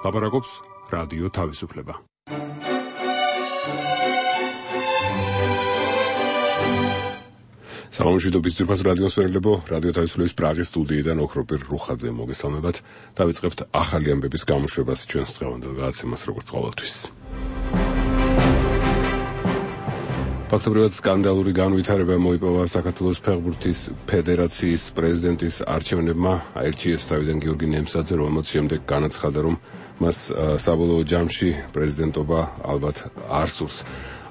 ლაპარაკობს რადიო თავისუფლება. სამომშვიდობის ძვირფას რადიოს ვერლებო, რადიო თავისუფლების პრაღის სტუდიიდან ოქროპირ რუხაძე მოგესალმებათ. დავიწყებთ ახალი ამბების გამოშვებას ჩვენს დღევანდელ გადაცემას როგორც ყოველთვის. ფაქტობრივად სკანდალური განვითარება მოიპოვა საქართველოს ფეხბურთის ფედერაციის პრეზიდენტის არჩევნებმა. აირჩიეს თავიდან გიორგი ნემსაძე, რომელმაც შემდეგ განაცხადა, რომ მას საბოლოო ჯამში პრეზიდენტობა ალბათ არ სურს.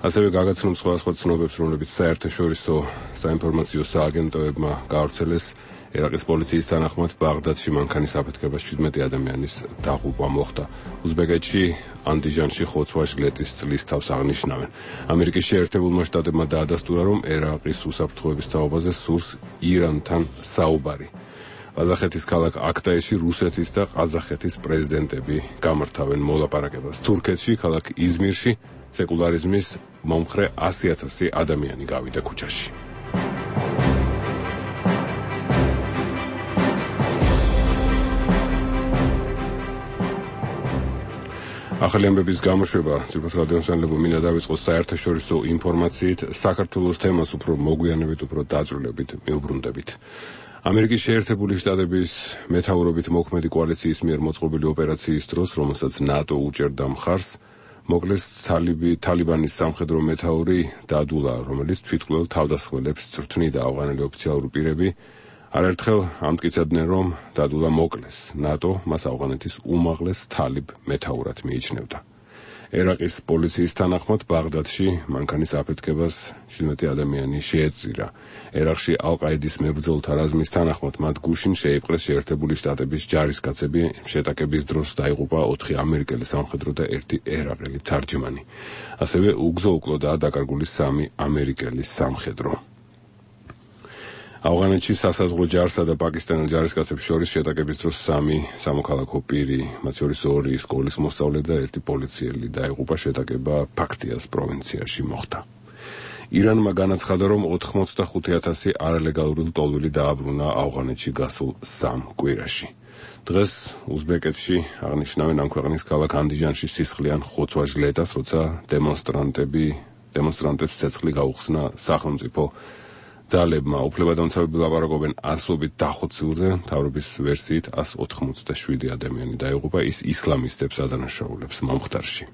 ასევე გაგაცნობს სხვადასხვა ცნობებს, რომლებიც საერთაშორისო საინფორმაციო სააგენტოებმა გაავრცელეს. ერაყის პოლიციის თანახმად ბაღდადში მანქანის აფეთქებას 17 ადამიანის დაღუპვა მოხდა. უზბეკეთში ანდიჟანში ხოცვა-ჟლეტის წლის თავს აღნიშნავენ. ამერიკის შეერთებულმა შტატებმა დაადასტურა, რომ ერაყის უსაფრთხოების თაობაზე სურს ირანთან საუბარი. ყაზახეთის ქალაქ აქტაიში რუსეთის და ყაზახეთის პრეზიდენტები გამართავენ მოლაპარაკებას. თურქეთში ქალაქ იზმირში სეკულარიზმის მომხრე 100,000 ადამიანი გავიდა ქუჩაში. ახალი ამბების გამოშვება ძვირფას რადიომსმენელებო მინდა დავიწყოს საერთაშორისო ინფორმაციით. საქართველოს თემას უფრო მოგვიანებით, უფრო დაწვრილებით მივუბრუნდებით. ამერიკის შეერთებული შტატების მეთაურობით მოქმედი კოალიციის მიერ მოწყობილი ოპერაციის დროს, რომელსაც ნატო უჭერდა მხარს, მოკლეს თალიბანის სამხედრო მეთაური დადულა, რომელიც თვითმკვლელ თავდასხმელებს წვრთნიდა. ავღანელი ოფიციალური პირები არაერთხელ ამტკიცებდნენ, რომ დადულა მოკლეს. ნატო მას ავღანეთის უმაღლეს თალიბ მეთაურად მიიჩნევდა. ერაყის პოლიციის თანახმად ბაღდადში მანქანის აფეთქებას 17 ადამიანი შეეწირა. ერაყში ალ-ყაიდის მებრძოლთა რაზმის თანახმად მათ გუშინ შეიპყრეს შეერთებული შტატების ჯარისკაცები. შეტაკების დროს დაიღუპა 4 ამერიკელი სამხედრო და 1 ერაყელი თარჯმანი. ასევე უგზო უკლოდაა დაკარგული 3 ამერიკელი სამხედრო. ავღანეთში სასაზღვრო ჯარსა და პაკისტანელ ჯარისკაცებს შორის შეტაკების დროს 3 სამოქალაქო პირი, მათ შორის 2 სკოლის მოსწავლე და 1 პოლიციელი დაიღუპა. შეტაკება ფაქტიას პროვინციაში მოხდა. ირანმა განაცხადა, რომ 85,000 არალეგალური ლტოლვილი დააბრუნა ავღანეთში გასულ 3 კვირაში. დღეს უზბეკეთში აღნიშნავენ ამ ქვეყნის ქალაქ ანდიჟანში სისხლიან ხოცვა-ჟლეტას, როცა დემონსტრანტებს ცეცხლი გაუხსნა სახელმწიფო ძალებმა. უფლებადამცავები ლაპარაკობენ ასობით დახოცილზე. მთავრობის ვერსიით 187 ადამიანი დაიღუპა. ის ისლამისტებს ადანაშაულებს მომხდარში.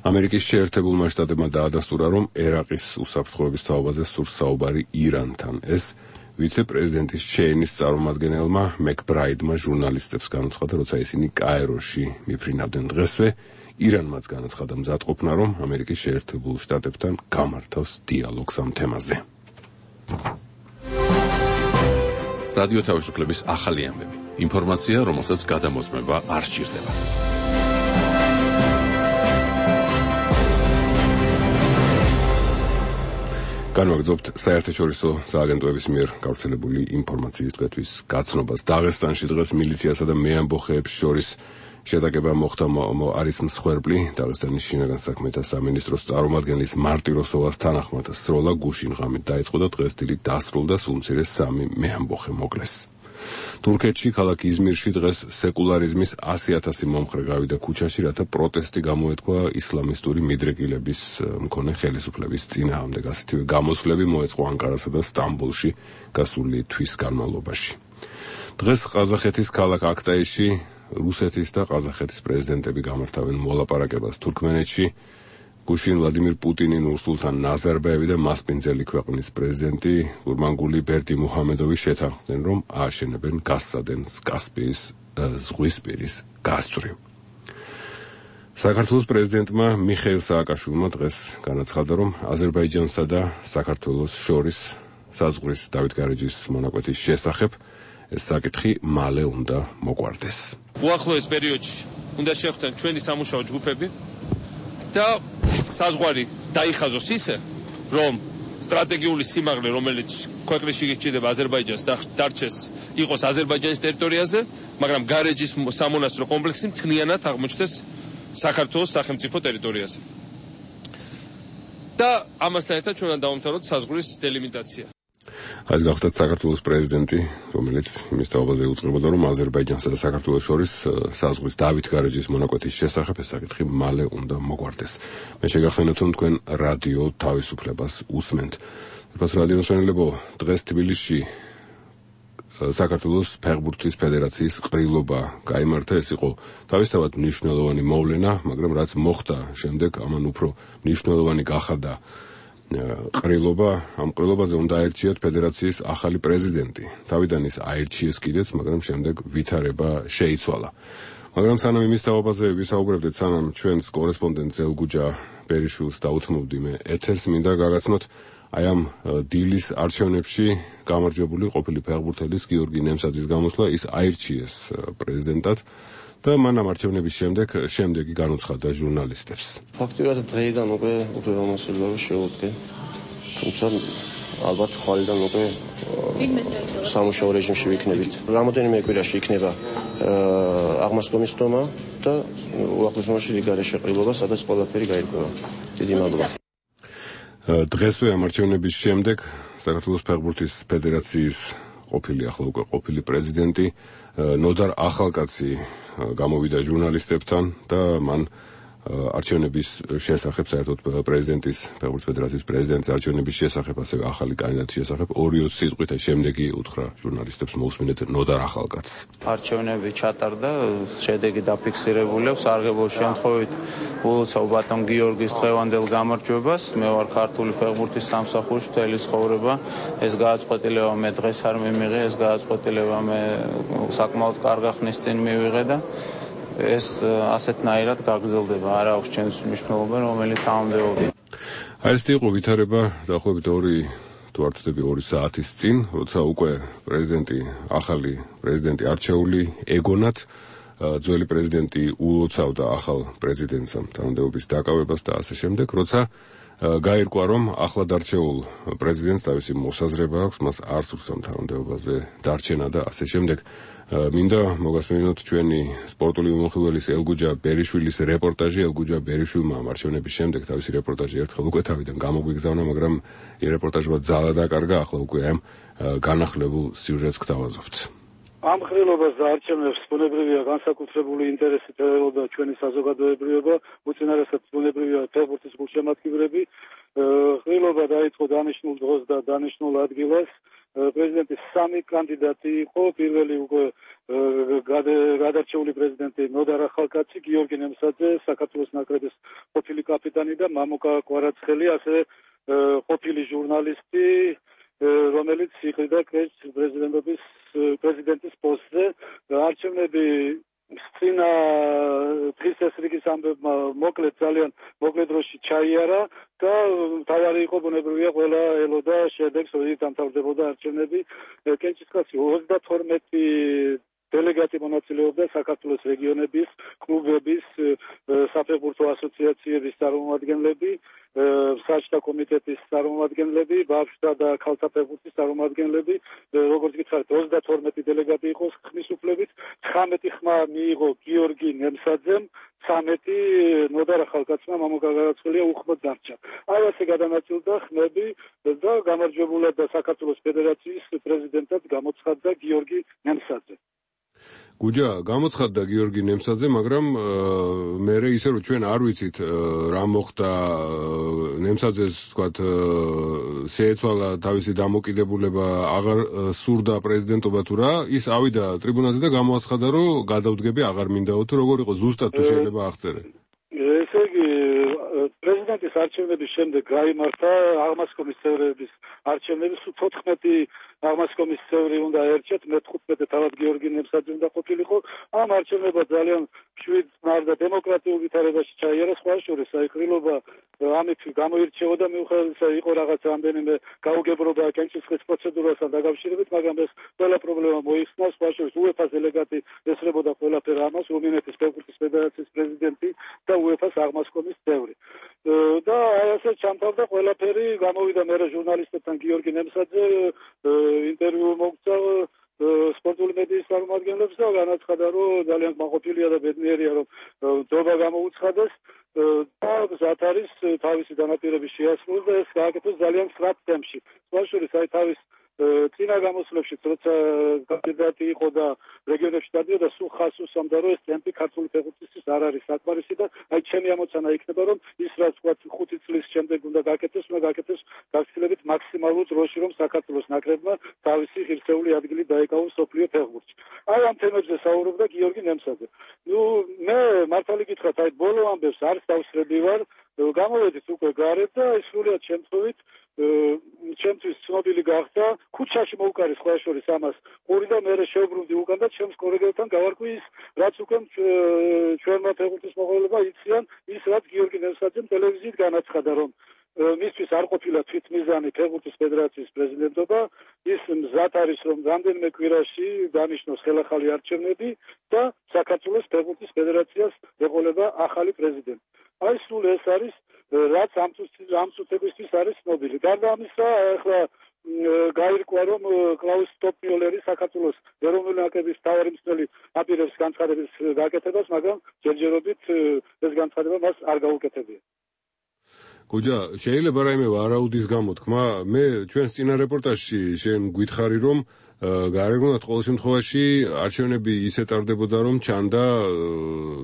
ამერიკის შეერთებულმა შტატებმა დაადასტურა, რომ ერაყის უსაფრთხოების თაობაზე სურს საუბარი ირანთან. ეს ვიცე-პრეზიდენტის შეინის წარმომადგენელმა მეკბრაიდმა ჟურნალისტებს განაცხადა, როცა ისინი კაიროში მიფრინავდნენ. დღესვე ირანმაც განაცხადა მზადყოფნა, რომ ამერიკის შეერთებულ შტატებთან გამართავს დიალოგს ამ თემაზე. რადიო თავისუფლების ახალი ამბები. ინფორმაცია, რომელსაც გადამოწმება არ სჭირდება. განვაგრძობთ საერთაშორისო სააგენტოების მიერ გავრცელებული ინფორმაციის თვეთის გაცნობას. დაღესტანში დღეს მილიციასა და მეამბოხეებს შორის შეტაკება მოხდა. არის მსხვერპლი. დაღესტანის შინაგან საქმეთა სამინისტროს წარმომადგენლის მარტიროსოვას თანახმად სროლა გუშინ ღამით დაიწყო და დღეს დილით დასრულდა. სულ მცირე 3 მეამბოხე მოკლეს. თურქეთში ქალაქ იზმირში დღეს სეკულარიზმის 100,000 მომხრე გავიდა ქუჩაში, რათა პროტესტი გამოეთქვა ისლამისტური მიდრეკილების მქონე ხელისუფლების წინააღმდეგ. ასეთივე გამოსვლები მოეწყო ანკარასა და სტამბოლში გასული თვის განმავლობაში. დღეს ყაზახეთის ქალაქ აქტაიში რუსეთის და ყაზახეთის პრეზიდენტები გამართავენ მოლაპარაკებას. თურქმენეთში გუშინ ვლადიმირ პუტინი, ნურსულთან ნაზარბაევი და მასპინძელი ქვეყნის პრეზიდენტი გურმანგული ბერდიმუჰამედოვი შეთანხმდნენ, რომ ააშენებენ გაზსადენს კასპიის ზღვისპირის გასწვრივ. საქართველოს პრეზიდენტმა მიხეილ სააკაშვილმა დღეს განაცხადა, რომ აზერბაიჯანსა და საქართველოს შორის საზღვრის დავითგარეჯის მონაკვეთის შესახებ ეს საკითხი მალე უნდა მოგვარდეს. უახლოეს პერიოდში უნდა შევხვდეთ ჩვენი სამუშაო ჯგუფები და საზღვარი დაიხაზოს ისე, რომ სტრატეგიული სიმაღლე, რომელიც ქვეყნის შეგეჭირდება აზერბაიჯანს და დარჩეს იყოს აზერბაიჯანის ტერიტორიაზე, მაგრამ გარეჯის სამონასტრო კომპლექსი მთლიანად აღმოჩნდეს საქართველოს სახელმწიფო ტერიტორიაზე. და ამასთან ერთად ჩვენ დავამთავროთ საზღვრის დელიმიტაცია. ეს გახდა საქართველოს პრეზიდენტი, რომელიც იმის თაობაზე უწყებოდა, რომ აზერბაიჯანსა და საქართველოს შორის საზღვრის დავით გარეჯის მონაკვეთის შესახებ ეს საკითხი მალე უნდა მოგვარდეს. მე შეგახსენებთ, რომ თქვენ რადიო თავისუფლებას უსმენთ. Pēc რადიო მსმენელებო, დღეს თბილისში საქართველოს ფეხბურთის ფედერაციის ყრილობა გაიმართა. ეს იყო თავისთავად მნიშვნელოვანი მოვლენა, მაგრამ რაც მოხდა შემდეგ, ამან უფრო მნიშვნელოვანი გახადა ყრილობა. ამ ყრილობაზე უნდა აერჩიათ ფედერაციის ახალი პრეზიდენტი. თავიდან ის აერჩიეს კიდეც, მაგრამ შემდეგ ვითარება შეიცვალა. მაგრამ სანამ იმის თაობაზე ვისაუბრებდით, სანამ ჩვენს კორესპონდენტ ზელგუჯა ბერიშვილს დაუთმობდი მე ეთერს, მინდა გაგაცნოთ აი ამ დილის არჩევნებში გამარჯვებული ყოფილი ფეხბურთელის გიორგი ნემსაძის გამოსვლა. ის აირჩიეს პრეზიდენტად და მან ამ არჩევნების შემდეგი განუცხადა ჟურნალისტებს. ფაქტობრივად დღეიდან უკვე უფლებამოსილება შეუდგე. თუმცა ალბათ ხვალიდან უკვე სამუშაო რეჟიმში ვიქნებით. რამოდენიმე კვირაში იქნება აღმასკომის ხდომა და უახლოესობაში რიგარე შეყრილობა, სადაც ყველაფერი გაირკვევა. დიდი მადლობა. დღესვე ამ არჩევნების შემდეგ საქართველოს ფეხბურთის ფედერაციის ახლა უკვე ყოფილი პრეზიდენტი ნოდარ ახალკაცი გამოვიდა ჟურნალისტებთან და მან არჩევნების შესახებ, საერთოდ პრეზიდენტის, ფეხბურთის ფედერაციის პრეზიდენტის არჩევნების შესახებ, ასევე ახალი კანდიდატის შესახებ 2-20 სიტყვით შემდეგი უთხრა ჟურნალისტებს. მოусმინეთ ნოდარ ახალკაცს. არჩევნები ჩატარდა, შედეგი დაფიქსირებული აქვს. სარგებლო შემთხვევით ულოცავ ბატონ გიორგის დღევანდელ გამარჯვებას. მე ვარ ქართული ფეხბურთის სამსახურში მთელი ცხოვრება. ეს გააწყვეტილება მე დღეს არ მიმიღე, ეს გააწყვეტილება მე საკმაოდ კარგი ხნის წინ მივიღე და ეს ასეთნაირად გაგრძელდება. არ აქვს ჩემს მნიშვნელობა, რომელიც ამდებოდი. აი ეს იყო ვითარება დაახლოებით 2 საათის წინ, როცა უკვე ახალი პრეზიდენტი არჩეული ეგონათ, ძველი პრეზიდენტი ულოცავდა ახალ პრეზიდენტს თანამდებობის დაკავებას და ასე შემდეგ, როცა გაირკვა, რომ ახლად არჩეულ პრეზიდენტს თავისი მოსაზრება აქვს, მას არ სურს ამ თანამდებობაზე დარჩენა და ასე შემდეგ. მინდა მოგასმენინოთ ჩვენი სპორტული მომხილველის ელგუჯა ბერიშვილის რეპორტაჟი. ელგუჯა ბერიშვილმა ამ არჩევნების შემდეგ თავისი რეპორტაჟი ერთხელ უკვე თავიდან გამოგვიგზავნა, მაგრამ ეს რეპორტაჟმა ძალა დაკარგა. ახლა უკვე ამ განახლებულ სიუჟეტს გთავაზობთ. ამ ყრილობას და არჩევნებს ბუნებრივია განსაკუთრებული ინტერესი ელოდა ჩვენი საზოგადოებრივება, უწინარესად ბუნებრივია ფეხბურთის გულშემატკივრები. ყრილობა დაიწყო დანიშნულ დროს და დანიშნულ ადგილას. პრეზიდენტის 3 კანდიდატი იყო. პირველი უკვე გადარჩეული პრეზიდენტი ნოდარ ახალკაცი, გიორგი ნემსაძე, საქართველოს ნაკრების ყოფილი კაპიტანი და მამუკა კვარაცხელი, ასევე ყოფილი ჟურნალისტი, რომელიც იყრიდა პრეზიდენტის პოსტზე. არჩევნები სწინა დღის ეს რიგის ამბებმა ძალიან მოკლე დროში ჩაიარა და თავარი იყო ბუნებრივია ყველა ელოდა შედეგს, როდესაც დამთავრდებოდა არჩევნები. კენჭისყრაში 32 დელეგატი მონაწილეობდა საქართველოს რეგიონების, კლუბების, საფეხბურთო ასოციაციების წარმომადგენლები, საჯთა კომიტეტის წარმომადგენლები, ბავშვთა და ქალთა ფეხბურთის წარმომადგენლები, როგორც გითხარით, 32 დელეგატი იყო ხმის უფლებით, 19 ხმა მიიღო გიორგი ნემსაძემ, 13 ნოდარ ახალკაცმა, მამუკა კვარაცხელია უხმოდ დარჩა. აი ასე გადანაწილდა ხმები და გამარჯვებულად და საქართველოს ფედერაციის პრეზიდენტად გამოცხადდა გიორგი ნემსაძე. გუჯა, გამოცხადდა გიორგი ნემსაძე, მაგრამ მე ისე რომ ჩვენ არ ვიცით რა მოხდა, ნემსაძეს თქვათ შეეცვალა თავისი დამოკიდებულება, აღარ სურდა პრეზიდენტობა თუ რა, ის ავიდა ტრიბუნაზე და გამოაცხადა, რომ გადავდგები, აღარ მინდაო თუ როგორ იყო ზუსტად თუ შეიძლება აღწერე. ესე იგი პრეზიდენტის არჩევნების შემდეგ გაიმართა აღმასკომის წევრების არჩევნები. 14 აღმასკომის წევრი უნდა ერჩეთ, მე-15 თავად გიორგი ნემსაძე უნდა ყოფილიყო. ამ არჩევნებმა ძალიან მშვიდ და დემოკრატიულ ვითარებაში ჩაიარა. სხვა შორის აი ყრილობა ამით გამოირჩეოდა, მიუხედავად იყო რაღაც რამდენიმე გაუგებრობა კენჭისყრის პროცედურასთან დაკავშირებით, მაგრამ ეს ყველა პრობლემა მოიხსნა. სხვა შორის UEFA-ს დელეგატი ესწრებოდა ყველაფერ ამას, რუმინეთის ფეხბურთის ფედერაციის პრეზიდენტი და UEFA-ს აღმასკომის წევრი. და აი ასე ჩამთავრდა ყველაფერი. გამოვიდა მერე ჟურნალისტებთან გიორგი ნემსაძე, ინტერვიუ მოგცა სპორტული მედიის წარმომადგენლებს და განაცხადა, რომ ძალიან კმაყოფილია და ბედნიერია, რომ დობა გამოუცხადეს და მზად არის თავისი განაპირობის შეასრულოს და ეს გააკეთოს ძალიან სწრაფ ტემპში. სხვა შორის აი თავის წინა გამოსვლებშიც როცა კანდიდატი იყო და რეგიონებში დადიოდა სულ ხას უსამდა რომ ეს ტემპი ქართული ფეხბურთისთვის არ არის საკმარისი და აი ჩემი ამოცანა იქნება რომ ის რაც ვთქვათ 5 წლის შემდეგ უნდა გაკეთდეს გაგცილებით მაქსიმალურ დროში რომ საქართველოს ნაკრებმა თავისი ღირსეული ადგილი დაეკავოს სოფლიო ფეხბურთში. აი ამ თემებზე საუბრობდა გიორგი ნემსაძე. მე მართალი გითხრათ აი ბოლო ამბებს არც დავსრები ვარ გამოვედით უკვე გარეთ და სრულიად შემთხვევით ჩემთვის ცნობილი გახდა ქუჩაში მოვკარეს სხვა შორის ამას ყური და მე შევბრუნდი უკან და ჩემს კოლეგებთან გავარკვი ის რაც უკვე ჩვენმა ფეხბურთის მოღვაწეებმა იციან ის რაც გიორგი ნემსაძემ ტელევიზიით განაცხადა რომ მისთვის არ ყოფილა თვითმიზანი ფეხბურთის ფედერაციის პრეზიდენტობა ის მზად არის რომ რამდენიმე კვირაში დანიშნოს ხელახალი არჩევნები და საქართველოს ფეხბურთის ფედერაციას ეყოლება ახალი პრეზიდენტი. აი სულ ეს არის რაც ამ წუთებისთვის არის ცნობილი. გარდა ამისა ახლა გაირკვა რომ კლაუს ტოპიოლერი საქართველოს ეროვნული ნაკრების მთავარი მწვრთნელი აპირებს განცხადების გაკეთებას, მაგრამ ჯერჯერობით ეს განცხადება მას არ გაუკეთებია. გუჯა, შეიძლება რაიმე ვარაუდის გამოთქმა? მე ჩვენს წინა რეპორტაჟში შენ გითხარი რომ გარეგნულად ყოველ შემთხვევაში არჩევნები ისე ტარდებოდა რომ ჩანდა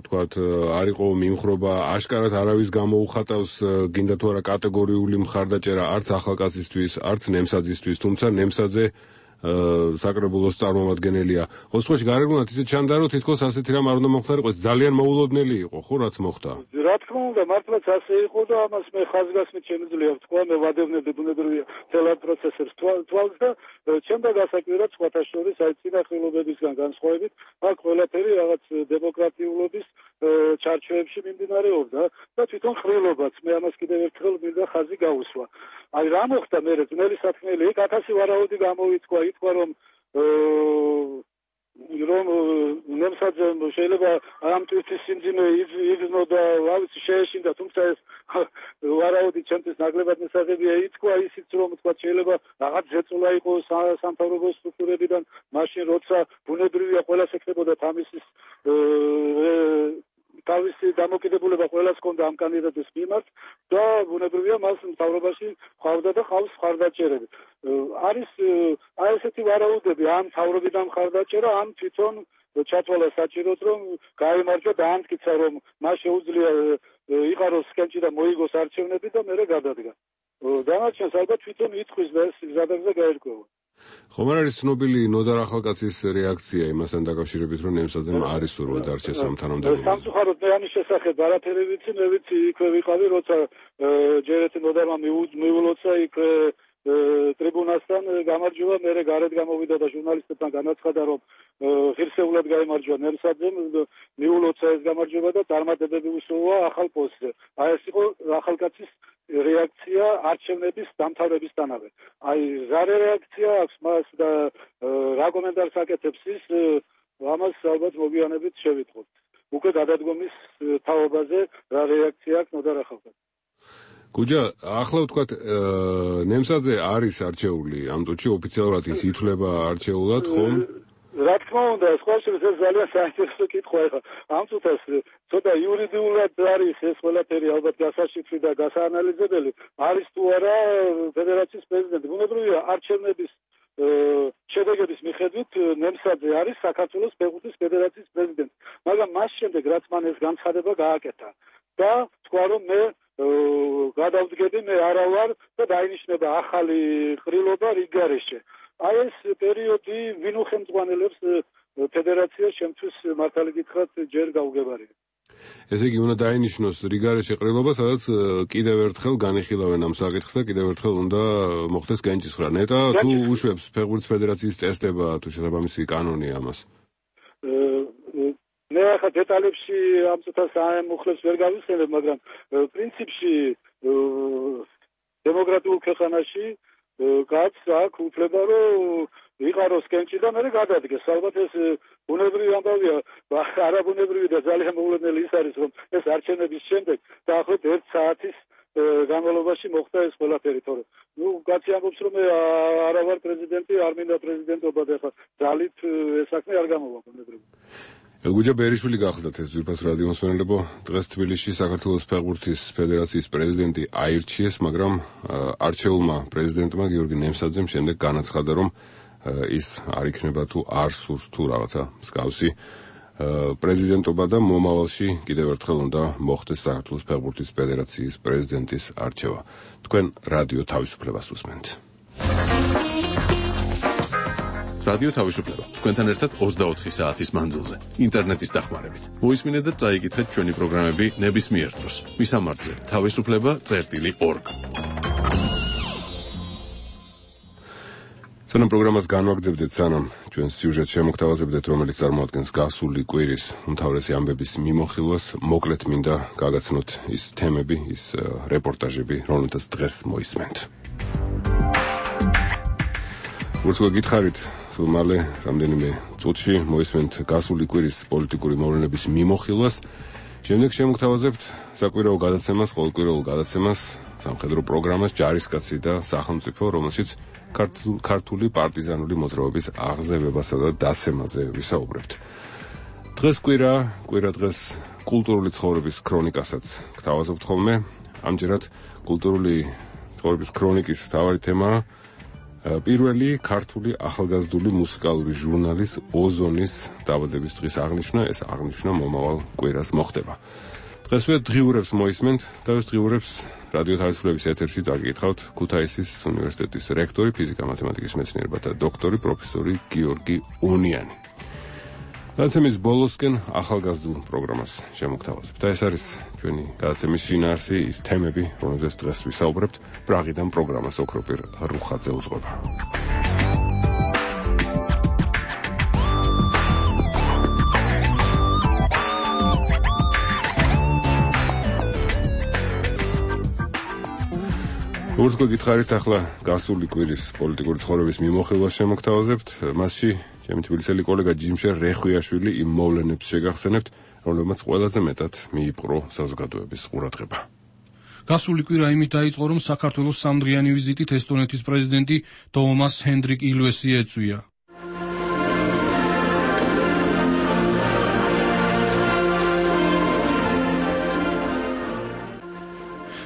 თქვათ არ იყო მიმხრობა აშკარად არავის გამოუხატავს გინდა თუ არა კატეგორიული მხარდაჭერა არც ახალკაცისთვის არც ნემსაძისთვის თუმცა ნემსაძე საკრებულოს წარმომადგენელია. ყოველ შემთხვევაში გარეგნულად ისე ჩანდა რომ თითქოს ასეთი რამ არ უნდა მოხდარიყოს ძალიან მოულოდნელი იყო ხო რაც მოხდა. რა თქმა უნდა მართლაც ასე იყო და ამას მე ხაზგასმით შემიძლია ვთქვა მე ვადევნებდი ბუნებრივია თელად პროცესებს თვალს და ჩემდა გასაკვირად სხვათა შორის აი წინახელობებისგან განსხვავებით აქ ყველაფერი რაღაც დემოკრატიულობის ჩარჩოებში მიმდინარეობდა და თვითონ ხრილობაც მე ამას კიდევ ერთხელ მინდა ხაზი გაუსვა. აი რა მოხდა მე ძნელი საქმეელი იქ 1000 ვარაუდი გამოიწვა ითქვა რომ ნემსაძემ შეიძლება ამ თვითის სიმძიმე იგზნო და რა ვიცი შეეშინდა თუმცა ეს ვარაუდი ჩემთვის ნაკლებად მისაღებია ითქვა ისიც რომ თქვა შეიძლება რაღაც ზეწოლა იყოს სამთავრობო სტრუქტურებიდან მაშინ როცა ბუნებრივია ყველას ეკნებოდა თამისის თავისი დამოკიდებულება ყველას ჰქონდა ამ კანდიდატის მიმართ და ბუნებრივია მას მთავრობაში ხავდა და ხავს მხარდაჭერები. არის აი ესეთი ვარაუდები ამ მთავრობიდან მხარდაჭერა ამ თვითონ ჩათვალა საჭიროდ რომ გაიმარჯვა და ამტკიცა რომ მას შეუძლია იყაროს სკენჭი და მოიგოს არჩევნები და მერე გადადგა. დანარჩენს ალბათ თვითონ იტყვის და ეს გზადაგზა გაერკვევა. ხომ არ არის ცნობილი ნოდარ ახალკაცის რეაქცია იმასთან დაკავშირებით რომ ნემსაძემ არის სურვა დარჩეს ამ თანამდებობაზე. სამწუხაროდ მე ამის შესახებ არაფერი ვიცი, მე ვიცი იქვე ვიყავი როცა ჯერეთი ნოდარმა მიულოცა იქ ტრიბუნასთან გამარჯვება, მერე გარეთ გამოვიდა და ჟურნალისტებთან განაცხადა რომ ღირსეულად გაიმარჯვა ნემსაძემ, მიულოცა ეს გამარჯვება და წარმატებები უსურვა ახალ პოსტზე. აი ეს იყო ახალკაცის რეაქცია არჩევნების დამთავრებისთანავე. აი ზარე რეაქცია აქვს მას და რა კომენტარს აკეთებს ის ამას ალბათ მოგვიანებით შევიტყობთ. უკვე გადადგომის თაობაზე რა რეაქცია აქვს ნოდარ ახალკაცს. გუჯა, ახლა ვთქვათ ნემსაძე არის არჩეული ამ წუთში ოფიციალურად ის ითვლება არჩეულად ხომ? რა თქმა უნდა, სხვა შორის ეს ძალიან საინტერესო კითხვა ახლა. ამ წუთას ცოტა იურიდიულად არის ეს ყველაფერი ალბათ გასაშიფრი და გასაანალიზებელი. არის თუ არა ფედერაციის პრეზიდენტი. ბუნებრივია არჩევნების შედეგების მიხედვით ნემსაძე არის საქართველოს ფეხბურთის ფედერაციის პრეზიდენტი. მაგრამ მას შემდეგ რაც მან ეს განცხადება გააკეთა და თქვა რომ მე გადავდგები მე არა ვარ და დაინიშნება ახალი ყრილობა რიგგარეშე. აი ეს პერიოდი ვინ უხელმძღვანელებს ფედერაციას შემთხვევით მართალი გითხრათ ჯერ გაუგებარია. ესე იგი უნდა დაინიშნოს რიგგარეშე ყრილობა, სადაც კიდევ ერთხელ განიხილავენ ამ საკითხს და კიდევ ერთხელ უნდა მოხდეს განჭისხრა. ნეტა თუ უშვებს ფეხბურთის ფედერაციის წესდება თუ შესაბამისი კანონი ამას. მე ახლა დეტალებში ამ წუთას ამუხლებს ვერ გავიხსენებ, მაგრამ პრინციპში დემოკრატიულ ქვეყანაში კაცს აქვს უფლება რომ იყაროს კენჭი და მერე გადადგეს. ალბათ ეს ბუნებრივი ამბავია, არაბუნებრივი და ძალიან მოულოდნელი ის არის რომ ეს არჩევნების შემდეგ დაახლოებით 1 საათის განმავლობაში მოხდა ეს ყველაფერი, თორემ კაცი ამბობს რომ მე არა ვარ პრეზიდენტი, არ მინდა პრეზიდენტობა და ახლა ძალით ეს საქმე არ გამოვა ბუნებრივი. გუჯა ბერიშვილი გახლდათ ეს ძვირფას რადიო მსმენელებო. დღეს თბილისში საქართველოს ფეხბურთის ფედერაციის პრეზიდენტი აირჩიეს, მაგრამ არჩეულმა პრეზიდენტმა გიორგი ნემსაძემ შემდეგ განაცხადა, რომ ის არ იქნება თუ არ სურს თუ რაღაცა მსგავსი პრეზიდენტობა და მომავალში კიდევ ერთხელ უნდა მოხდეს საქართველოს ფეხბურთის ფედერაციის პრეზიდენტის არჩევა. თქვენ რადიო თავისუფლებას უსმენთ. რადიო თავისუფლება თქვენთან ერთად 24 საათის მანძილზე ინტერნეტის დახმარებით. მოისმინეთ და წაიკითხეთ ჩვენი პროგრამები ნებისმიერ დროს. მისამართზე თავისუფლება.org. სანამ პროგრამას განვაგრძებდეთ, სანამ ჩვენ სიუჟეტს შემოგთავაზებდეთ, რომელიც წარმოადგენს გასული კვირის უმთავრესი ამბების მიმოხილვას, მოკლედ მინდა გაგაცნოთ ის თემები, ის რეპორტაჟები, რომელთაც დღეს მოისმენთ. ურცო გითხარით, სულ მალე რამდენიმე წუთში მოისმენთ გასული კვირის პოლიტიკური მოვლენების მიმოხილვას. შემდეგ შემოგთავაზებთ საკვირაო გადაცემას, ყოველკვირეულ გადაცემას, სამხედრო პროგრამას ჯარისკაცი და სახელმწიფო, რომელშიც ქართული პარტიზანული მოძრაობის აღზევებასა და დაცემაზე ვისაუბრებთ. დღეს კვირა დღეს კულტურული ცხოვრების ქრონიკასაც გთავაზობთ ხოლმე. ამჯერად კულტურული ცხოვრების ქრონიკის მთავარი თემაა პირველი ქართული ახალგაზრდული მუსიკალური ჟურნალის ოზონის დაბადების დღის აღნიშვნა. ეს აღნიშვნა მომავალ კვირას მოხდება. დღესვე დღიურებს მოისმენთ და ეს დღიურებს რადიო თავისუფლების ეთერში წაგიკითხავთ ქუთაისის უნივერსიტეტის რექტორი, ფიზიკა-მათემატიკის მეცნიერებათა დოქტორი, პროფესორი გიორგი უნიანი. გადაცემის ბოლოსკენ ახალგაზრდულ პროგრამას შემოგთავაზებთ. და ეს არის ჩვენი გადაცემის შინაარსი, ის თემები, რომელზეც დღეს ვისაუბრებთ. პრაღიდან პროგრამას ოქროპირ რუხაძე უძღვება. ურცო გითხარით, ახლა გასული კვირის პოლიტიკური ცხოვრების მიმოხილვას შემოგთავაზებთ. მასში ჩემი თბილისელი კოლეგა ჯიმშერ რეხვიაშვილი იმ მოვლენებს შეგახსენებთ, რომლებმაც ყველაზე მეტად მიიპყრო საზოგადოების ყურადღება. გასული კვირა იმით დაიწყო, რომ საქართველოს სამდღიანი ვიზიტით ესტონეთის პრეზიდენტი ტოომას ჰენდრიკ ილვესი ეწვია.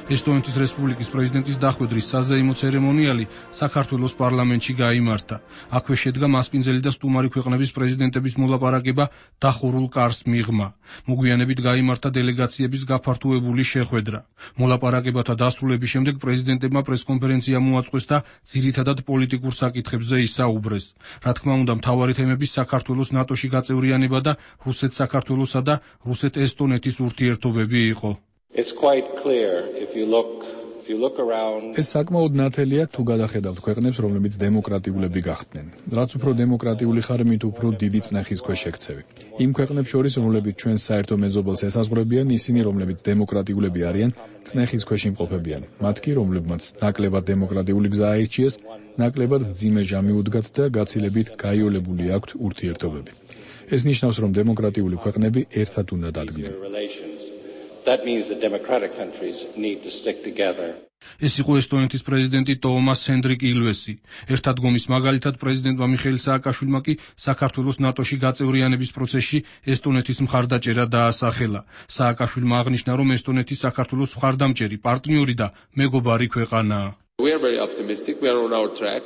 ესტონეთის რესპუბლიკის პრეზიდენტის დახვედრის საზეიმო ცერემონიალი საქართველოს პარლამენტში გაიმართა. აქვე შედგა მასპინძელი და სტუმარი ქვეყნების პრეზიდენტების მოლაპარაკება დახურულ კარს მიღმა. მოგვიანებით გაიმართა დელეგაციების გაფართოებული შეხვედრა. მოლაპარაკებათა დასრულების შემდეგ პრეზიდენტებმა პრესკონფერენცია მოაწყვეს და ძირითადად პოლიტიკურ საკითხებზე ისაუბრეს. რა თქმა უნდა, მთავარი თემები საქართველოს ნატოში გაწევრიანება და რუსეთ-საქართველოსა და რუსეთ-ესტონეთის ურთიერთობები იყო. ეს საკმაოდ ნათელია თუ გადახედავთ ქვეყნებს, რომლებიც დემოკრატიულები გახდნენ. რაც უფრო დემოკრატიული ხარ, მით უფრო დიდი წნეხის ქვეშ ექცევი. იმ ქვეყნებს შორის, რომლებიც ჩვენს საერთო მეზობელს ესაზღვრებიან, ისინი, რომლებიც დემოკრატიულები არიან, წნეხის ქვეშ იმყოფებიან. მათ კი, რომლებმაც ნაკლებად დემოკრატიული გზა აირჩიეს, ნაკლებად მძიმე ჟამი უდგათ და გაცილებით გაიოლებული აქვთ ურთიერთობები. ეს ნიშნავს, რომ დემოკრატიული ქვეყნები ერთად უნდა დადგნენ. That means the democratic countries need to stick together. ეს იყო ესტონეთის პრეზიდენტი ტოომას ჰენდრიკ ილვესი. ერთ ადგომის მაგალითად პრეზიდენტმა მიხეილ სააკაშვილმა კი საქართველოს ნატოში გაწევრიანების პროცესში ესტონეთის მხარდაჭერა დაასახელა. სააკაშვილმა აღნიშნა, რომ ესტონეთი საქართველოს მხარდამჭერი პარტნიორი და მეგობარი ქვეყანაა. We are very optimistic. We are on our track.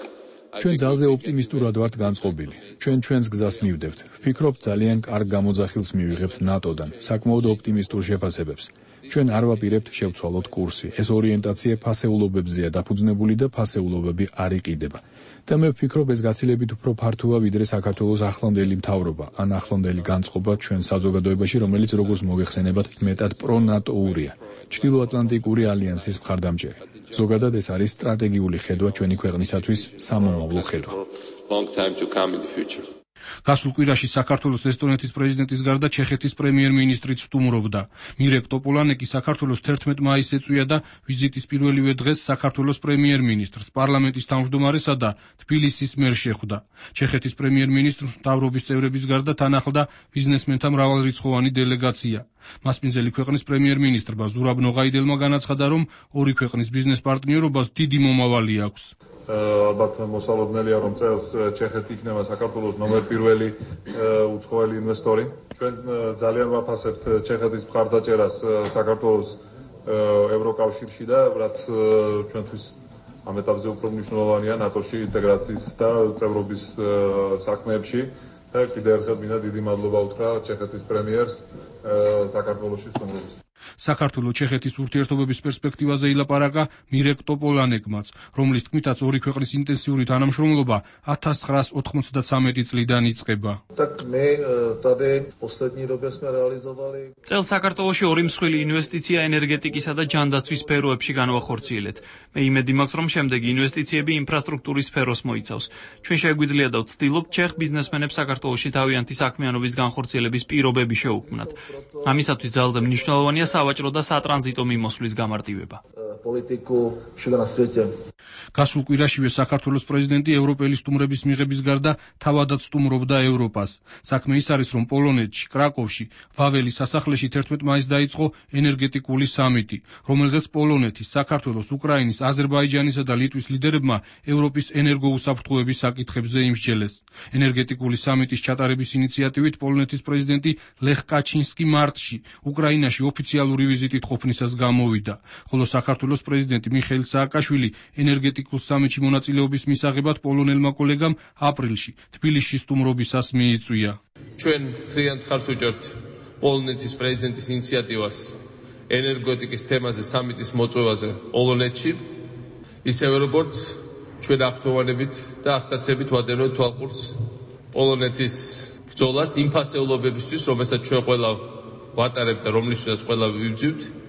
ჩვენ ძალზე ოპტიმისტურად ვართ განწყობილი. ჩვენს გზას მივდევთ. ვფიქრობ, ძალიან კარგ გამოძახილს მივიღებთ ნატოდან, საკმაოდ ოპტიმისტურ შეფასებებს. ჩვენ არ ვაპირებთ შევცვალოთ კურსი. ეს ორიენტაცია ფასეულობებზეა დაფუძნებული და ფასეულობები არ იყიდება. და მე ვფიქრობ, ეს გაცილებით უფრო ფართოა, ვიდრე საქართველოს ახლანდელი მთავრობა, ან ახლანდელი განწყობა ჩვენ საზოგადოებაში, რომელიც როგორც მოგეხსენებათ, მეტად პრონატოურია. ჩრდილოატლანტიკური ალიანსის მხარდამჭერი. ზოგადად ეს არის სტრატეგიული ხედვა ჩვენი ქვეყნისათვის, სამომავლო ხედვა. გასულ კვირაში საქართველოს ესტონეთის პრეზიდენტის გარდა ჩეხეთის პრემიერ-მინისტრიც სტუმრობდა. მირეკ ტოპოლანეკი საქართველოს 11 მაისს ეწვია და ვიზიტის პირველივე დღეს საქართველოს პრემიერ-მინისტრს, პარლამენტის თავმჯდომარესა და თბილისის მერს შეხვდა. ჩეხეთის პრემიერ-მინისტრს მთავრობის წევრების გარდა თან ახლდა ბიზნესმენთა მრავალრიცხოვანი დელეგაცია. მასპინძელი ქვეყნის პრემიერ-მინისტრმა ზურაბ ნოღაიდელმა განაცხადა, რომ ორი ქვეყნის ბიზნეს პარტნიორობას დიდი მომავალი აქვს. ალბათ მოსალოდნელია, რომ წელს ჩეხეთი იქნება საქართველოს ნომერ პირველი უცხოელი ინვესტორი. ჩვენ ძალიან ვაფასებთ ჩეხეთის მხარდაჭერას საქართველოს ევროკავშირში და რაც ჩვენთვის ამ ეტაპზე უფრო მნიშვნელოვანია ნატოში ინტეგრაციის და წევრობის საქმეებში. და კიდევ ერთხელ მინდა დიდი მადლობა უთხრა ჩეხეთის პრემიერს საქართველოში სტუმრობის. საქართველოს ჩეხეთის ურთიერთობების პერსპექტივაზე ილაპარაკა მირეკ ტოპოლანეკმაც, რომლის თქმითაც ორი ქვეყნის ინტენსიური თანამშრომლობა 1993 წლიდან იწყება. წელს საქართველოში ორი მსხვილი ინვესტიცია ენერგეტიკისა და ჯანდაცვის სფეროებში განვახორციელეთ. მე იმედი მაქვს, რომ შემდეგი ინვესტიციები ინფრასტრუქტურის სფეროს მოიცავს. ჩვენ შეგვიძლია და ვცდილობთ ჩეხ ბიზნესმენებს საქართველოში თავიანთი საქმიანობის განხორციელების პირობები შეუქმნათ. ამისათვის ძალზე მნიშვნელოვანია სავაჭრო და სატრანზიტო მიმოსვლის გამარტივება. გასულ კვირაშივე საქართველოს პრეზიდენტი ევროპელი სტუმრების მიღების გარდა თავადაც სტუმრობდა ევროპას. საქმე ის არის, რომ პოლონეთში, კრაკოვში, ვაველის სასახლეში 11 მაისს დაიწყო ენერგეტიკული სამიტი, რომელზეც პოლონეთის, საქართველოს, უკრაინის, აზერბაიჯანისა და ლიტვის ლიდერებმა ევროპის ენერგოუსაფრთხოების საკითხებზე იმსჯელეს. ენერგეტიკული სამიტის ჩატარების ინიციატივით პოლონეთის პრეზიდენტი ლეხ კაჩინსკი მარტში უკრაინაში ოფიციალური ვიზიტით ყოფნისას გამოვიდა, ხოლო საქართველოს პრეზიდენტი მიხეილ სააკაშვილი ენერგეტიკულ სამიტში მონაწილეობის მისაღებად პოლონელმა კოლეგამ აპრილში თბილისში სტუმრობისას მიიწვია. ჩვენ ძალიან ხარს ვუჭერთ პოლონეთის პრეზიდენტის ინიციატივას ენერგეტიკის თემაზე სამიტის მოწვევაზე პოლონეთში, ისევე როგორც ჩვენ აქტუალებით და ახდაცებით ვადევნებთ თვალყურს პოლონეთის ბრძოლას იმ ფასეულობებისთვის, რომელსაც ჩვენ ყველა ვატარებთ და რომლისთვისაც ყველა ვიბრძვით.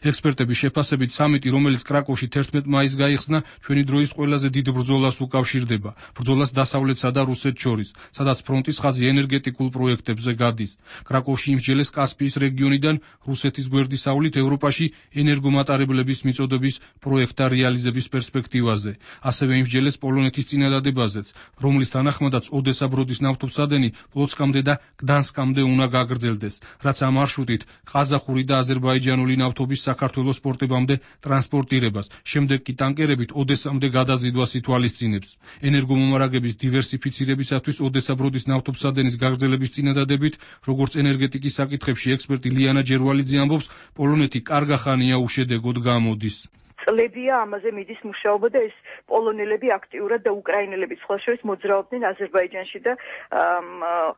ექსპერტების შეფასებით სამიტი, რომელიც კრაკოვში 11 მაისს გაიხსნა, ჩვენი დროის ყველაზე დიდ ბრძოლას უკავშირდება. ბრძოლას დასავლეთსა და რუსეთს შორის, სადაც ფრონტის ხაზი ენერგეტიკულ პროექტებზე გადის. კრაკოვში იმსჯელეს კასპიის რეგიონიდან რუსეთის გვერდისავლით ევროპაში ენერგომატარებლების მიწოდების პროექტთა რეალიზების პერსპექტივაზე. ასევე იმსჯელეს პოლონეთის წინადადებაზეც, რომლის თანახმადაც ოდესა ბროდის ნავთობსადენი პლოცკამდე და გდანსკამდე უნდა გაგრძელდეს, რაც ამ მარშრუტით ყაზახური და აზერბაიჯანული ნავთობის საქართველოს პორტებამდე ტრანსპორტირებას, შემდეგ კი ტანკერებით ოდესამდე გადაზიდვას ითვალისწინებს. ენერგომომარაგების დივერსიფიცირებისათვის ოდესა ბროდის ნავთობსადენის გაგრძელების წინადადებით, როგორც ენერგეტიკის საკითხებში ექსპერტი ლიანა ჯერვალიძე ამბობს, პოლონეთი კარგა ხანია უშედეგოდ გამოდის. წლებია ამაზე მიდის მუშაობა და ეს პოლონელები აქტიურად და უკრაინელები სხვა შორის მოძრაობდნენ აზერბაიჯანში და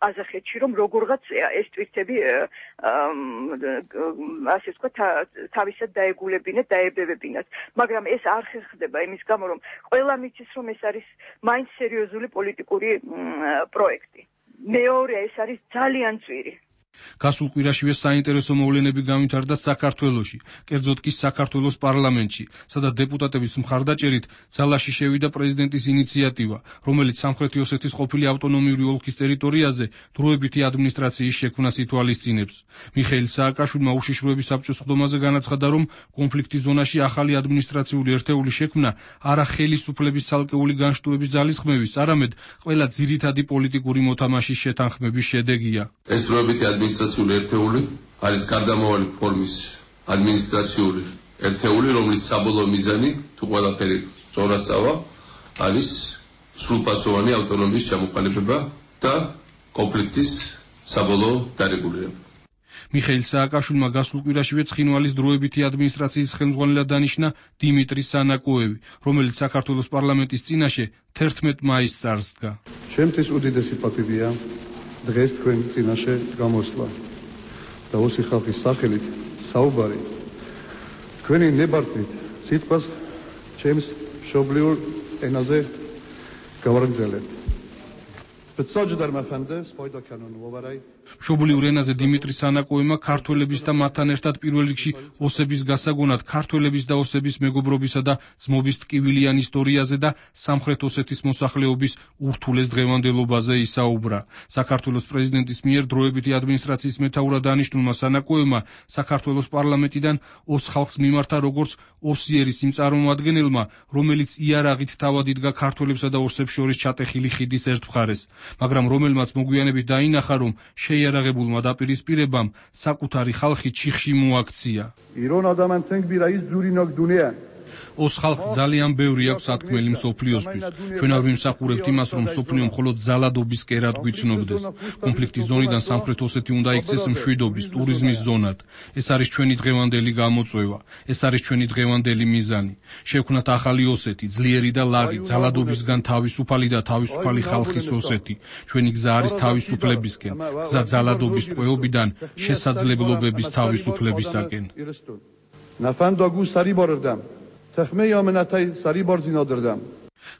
ყაზახეთში, რომ როგორღაც ეს ტვირთები ასე ვთქვათ თავისად დაეგულებინათ, დაებებებინათ. მაგრამ ეს არ ხერხდება იმის გამო, რომ ყველა მიცის, რომ ეს არის მაინც სერიოზული პოლიტიკური პროექტი. მეორე ეს არის ძალიან ძვირი. გასულ კვირაშივე საინტერესო მოვლენები გამვითარდა საქართველოში, კერძოდ კი საქართველოს პარლამენტში, სადაც დეპუტატების მხარდაჭერით ძალაში შევიდა პრეზიდენტის ინიციატივა, რომელიც სამხრეთი ოსეთის ყოფილი ავტონომიური ოლქის ტერიტორიაზე დროებითი ადმინისტრაციის შექმნას ითვალისწინებს. მიხეილ სააკაშვილმა უშიშროების საბჭოს სხდომაზე განაცხადა, რომ კონფლიქტის ზონაში ახალი ადმინისტრაციული ერთეული შექმნა არა ხელისუფლების ცალკეული განშტოების ძალისხმევის, არამედ ყველა ძირითადი პოლიტიკური მოთამაშის შეთანხმების შედეგია. ეს დროებითი ადმინისტრაციული ერთეული არის გარდამავალი ფორმის ადმინისტრაციული ერთეული, რომლის საბოლოო მიზანი, თუ ყველაფერი სწორად წავა, არის სრულფასოვანი ავტონომიის ჩამოყალიბება და კონფლიქტის საბოლოო დარეგულირება. მიხეილ სააკაშვილმა გასულ კვირაშივე ცხინვალის დროებითი ადმინისტრაციის ხელმძღვანელად დანიშნა დიმიტრი სანაკოევი, რომელიც საქართველოს პარლამენტის წინაშე 11 მაისს წარსდგა. ჩემთვის უდიდესი პატივია დღეს თქვენ წინაშე გამოსვლა და ოსი ხალხის სახელით საუბარი თქვენი ნებართვით სიტყვას ჩემს მშობლიურ ენაზე გავაგრძელებთ. მშობლიურ ენაზე დიმიტრი სანაკოევმა ქართველების და მათთან ერთად პირველ რიგში ოსების გასაგონად ქართველების და ოსების მეგობრობისა და ძმობის ტკივილიან ისტორიაზე და სამხრეთ ოსეთის მოსახლეობის ურთულეს დღევანდელობაზე ისაუბრა. საქართველოს პრეზიდენტის მიერ დროებითი ადმინისტრაციის მეთაურად დანიშნულმა სანაკოევმა საქართველოს პარლამენტიდან ოს ხალხს მიმართა როგორც ოსიერის იმ წარმომადგენელმა, რომელიც იარაღით თავად იდგა ქართველებსა და ოსებს შორის ჩატეხილი ხიდის ერთ მხარეს. მაგრამ რომელმაც მოგვიანებით დაინახა, რომ შეიარაღებულმა დაპირისპირებამ საკუთარი ხალხი ჩიხში მოაქცია. ایران آدمانتنگ بی رئیس جوری ناک دنیا ოს ხალხს ძალიან ბევრი აქვს სათქმელი მსოფლიოსთვის. ჩვენ არ ვიმსახურებთ იმას, რომ მსოფლიო მხოლოდ ძალადობის კერად გვიცნობდეს. კონფლიქტის ზონიდან სამხრეთ ოსეთი უნდა იქცეს მშვიდობის, ტურიზმის ზონად. ეს არის ჩვენი დღევანდელი გამოწვევა. ეს არის ჩვენი დღევანდელი მიზანი. შევქმნათ ახალი ოსეთი, ძლიერი და ლაღი, ძალადობისგან თავისუფალი და თავისუფალი ხალხის ოსეთი. ჩვენი გზა არის თავისუფლებისკენ, გზა ძალადობის ტყვეობიდან შესაძლებლობების თავისუფლებისაკენ. نفنداگو سری باردم تخمه یامنتای سری بارزینا دردم.